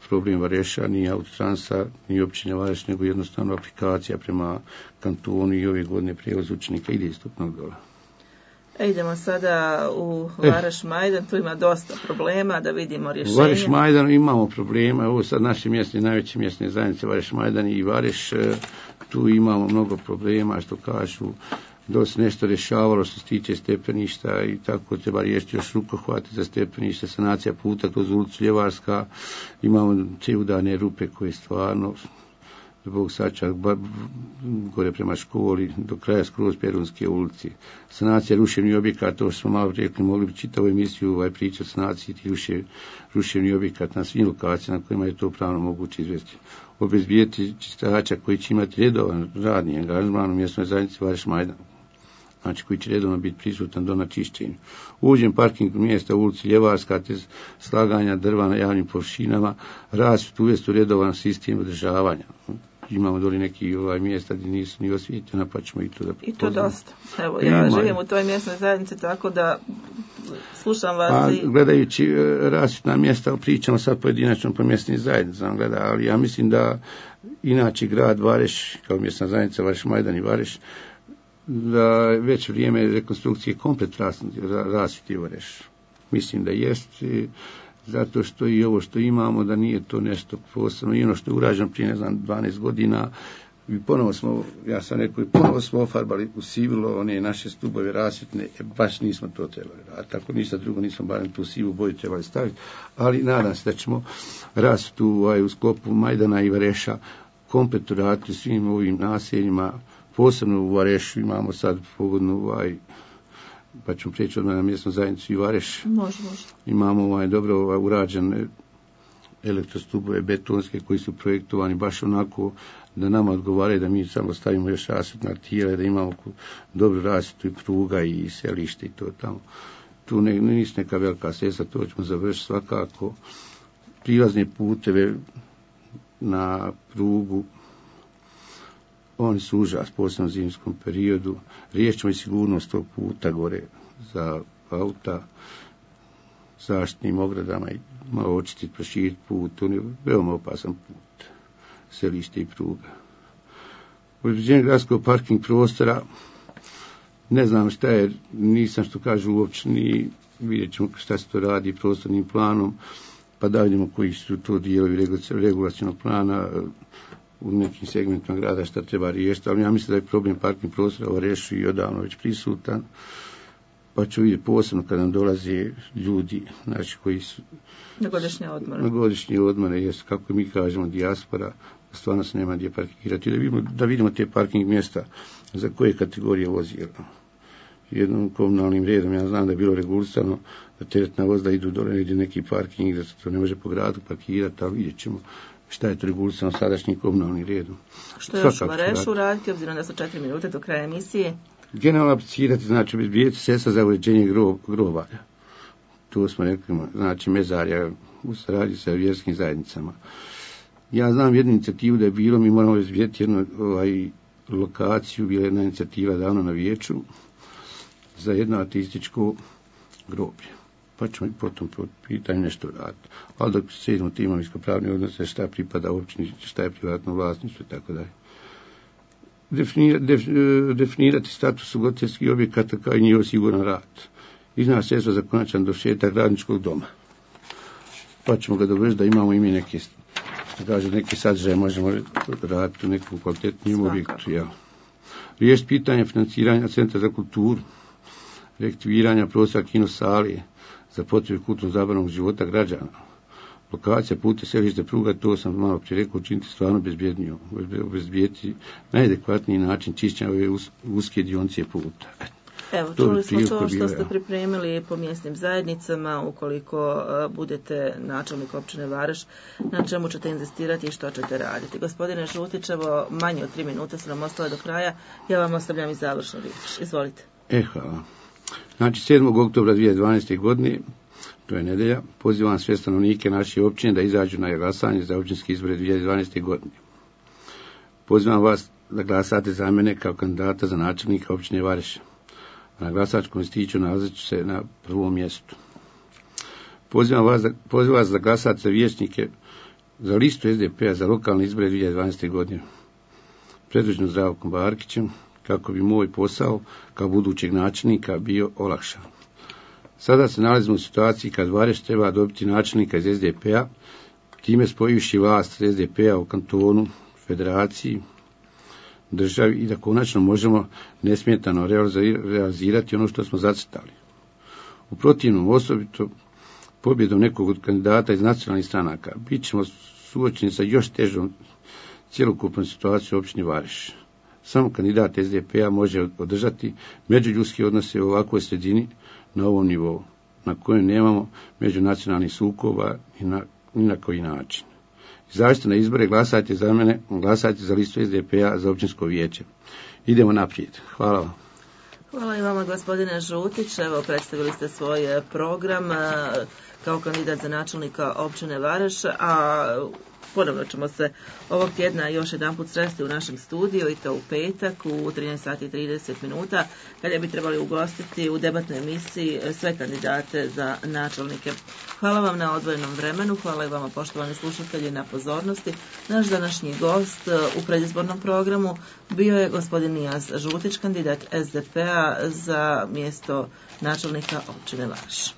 problem Vareša, ni Autotransa, ni općine Vareš, nego jednostavno aplikacija prema kantonu i ove godine prijevoz učenika ide istupnog dola. Idemo sada u Vareš Majdan, tu ima dosta problema, da vidimo rješenje. U Vareš Majdan imamo problema, ovo sad naše mjesne, najveće mjesne zajednice Vareš Majdan i Vareš, tu imamo mnogo problema, što kažu, dosta nešto rješavalo što se tiče stepeništa i tako treba riješiti još rukohvate za stepeništa, sanacija puta kroz ulicu Ljevarska, imamo te udarne rupe koje stvarno zbog sačak gore prema školi do kraja skroz Perunske ulici. Sanacija ruševnih objekata, to što smo malo rekli, mogli bi čitavu emisiju pričati o sanaciji tih ruševnih objekata na svim lokacijama na kojima je to pravno moguće izvesti. Obezbijeti čistača koji će imati redovan radni angažman u mjesnoj zajednici Vareš Majdan, znači koji će redovno biti prisutan do načišćenja. Uđen parking mjesta u ulici Ljevarska, te slaganja drva na javnim površinama, rasvjet uvesti u redovan sistem održavanja. Imamo doli neki mjesta gdje nisu ni osvjetljena, pa ćemo i to da I to dosta. Evo, ja živim u toj mjesnoj zajednici, tako da slušam vas. Gledajući rasvjetna mjesta, pričamo sad pojedinačno po mjesnim zajednicama, ali ja mislim da inače grad Vareš, kao mjesna zajednica Vareš Majdan i Vareš, da već vrijeme rekonstrukcije komplet rasvjeti Vareš. Mislim da jest, zato što i ovo što imamo, da nije to nešto posebno. I ono što je urađeno prije, 12 godina, i ponovo smo, ja sam rekao, ponovo smo ofarbali u sivilo one naše stubove rasvjetne, baš nismo to trebali raditi. Tako ništa drugo, nismo barem tu sivu boju trebali staviti, ali nadam se da ćemo rasvjetu u sklopu Majdana i Vareša komplet raditi svim ovim naseljima. Posebno u Varešu imamo sad pogodnu pa ćemo prijeći odmah na mjesnu zajednicu i Vareš. Može. Imamo dobro urađene elektrostubove betonske koji su projektovani baš onako da nama odgovaraju, da mi samo stavimo još rasvjetna tijela, da imamo dobru rasvjetu i pruga i selište i to tamo. Tu nisu neka velika sredstva, to ćemo završiti svakako. Prilazne puteve na prugu, oni su užas, posebno u zimskom periodu. Riješćemo i sigurnost tog puta gore za auta, zaštitnim ogradama i malo očistiti, proširiti put. On je veoma opasan put, selište i pruga. Uređenje gradskog parking prostora, ne znam šta je, nisam što kažu uopće, ni vidjet ćemo šta se to radi prostornim planom, pa da vidimo koji su to dijelovi regulacionog plana u nekim segmentima grada šta treba riješiti, ali ja mislim da je problem parking prostora u Varešu i odavno već prisutan, pa ću vidjeti posebno kada nam dolaze ljudi, znači koji su na godišnje odmore, jest, kako mi kažemo, dijaspora, stvarno se nema gdje parkirati, da vidimo te parking mjesta za koje kategorije vozila. jednom komunalnim redom. Ja znam da je bilo regulisano da teretna vozila idu dole negdje neki parking, da se to ne može po gradu parkirati, ali vidjet ćemo šta je to regulisano sadašnjim komunalnim redom. Što još u Varešu raditi, obzirom da su 4 minute do kraja emisije? Generalno aplicirati, znači obezbijediti sredstva za uređenje grobalja. To smo rekli, znači mezarja u saradnji sa vjerskim zajednicama. Ja znam jednu inicijativu da je bilo, mi moramo obezbijediti jednu lokaciju, bila jedna inicijativa davno na vijeću za jedno ateističko groblje. Pa ćemo i potom po pitanju nešto raditi. Ali dok se idemo ti imovinsko-pravni odnose, šta pripada općini, šta je privatno vlasništvo i tako dalje. Definirati status ugostiteljskih objekata kao i njihov siguran rad. Iznaći sredstva za konačan dovršetak radničkog doma. Pa ćemo ga dovršiti da imamo i mi neke sadržaje, možemo raditi u nekom kvalitetnijem objektu. Ja. Riješiti pitanje financiranja Centra za kulturu, reaktiviranja prostora kinosali za potrebe kulturno-zabavnog života građana. Lokacija puta selište pruga, to sam malo prije rekao, učiniti stvarno bezbjednijom, obezbijediti najadekvatniji način čišćenja ove uske dionice puta. Evo, čuli smo to što ste pripremili po mjesnim zajednicama, ukoliko budete načelnik općine Vareš, na čemu ćete inzistirati i što ćete raditi. Gospodine Žutić, evo, manje od 3 minute su nam ostale do kraja, ja vam ostavljam i završnu riječ. Izvolite. Hvala. Znači, 7. oktobra 2012. godine, to je nedelja, pozivam sve stanovnike naše općine da izađu na glasanje za općinske izbore 2012. godine. Pozivam vas da glasate za mene kao kandidata za načelnika općine Vareš. Na glasačkom listiću nalazit ću se na prvom mjestu. Pozivam vas da glasate za vijećnike za listu SDP-a za lokalne izbore 2012. godine. Predvođeno Zdravkom Barkićem, kako bi moj posao kao budućeg načelnika bio olakšan. Sada se nalazimo u situaciji kad Vareš treba dobiti načelnika iz SDP-a, time spojivši vlast SDP-a u kantonu, federaciji, državi i da konačno možemo nesmetano realizirati ono što smo zacrtali. U protivnom, osobito pobjedom nekog od kandidata iz nacionalnih stranaka, bit ćemo suočeni sa još težom cjelokupnom situacijom u općini Vareš. Samo kandidat SDP-a može održati međuljudske odnose u ovakvoj sredini na ovom nivou, na kojem nemamo međunacionalnih sukoba ni na koji način. Izađite na izbore, glasajte za mene, glasajte za listu SDP-a za općinsko vijeće. Idemo naprijed. Hvala vam. Hvala i vama, gospodine Žutić. Evo, predstavili ste svoj program kao kandidat za načelnika općine Vareš, a ponovno ćemo se ovog tjedna još jedanput sresti u našem studiju i to u petak u 13:30 kada bi trebali ugostiti u debatnoj emisiji sve kandidate za načelnike. Hvala vam na odvojenom vremenu, hvala i vama poštovani slušatelji na pozornosti. Naš današnji gost u predizbornom programu bio je gospodin Nijaz Žutić, kandidat SDP-a za mjesto načelnika općine Vareš.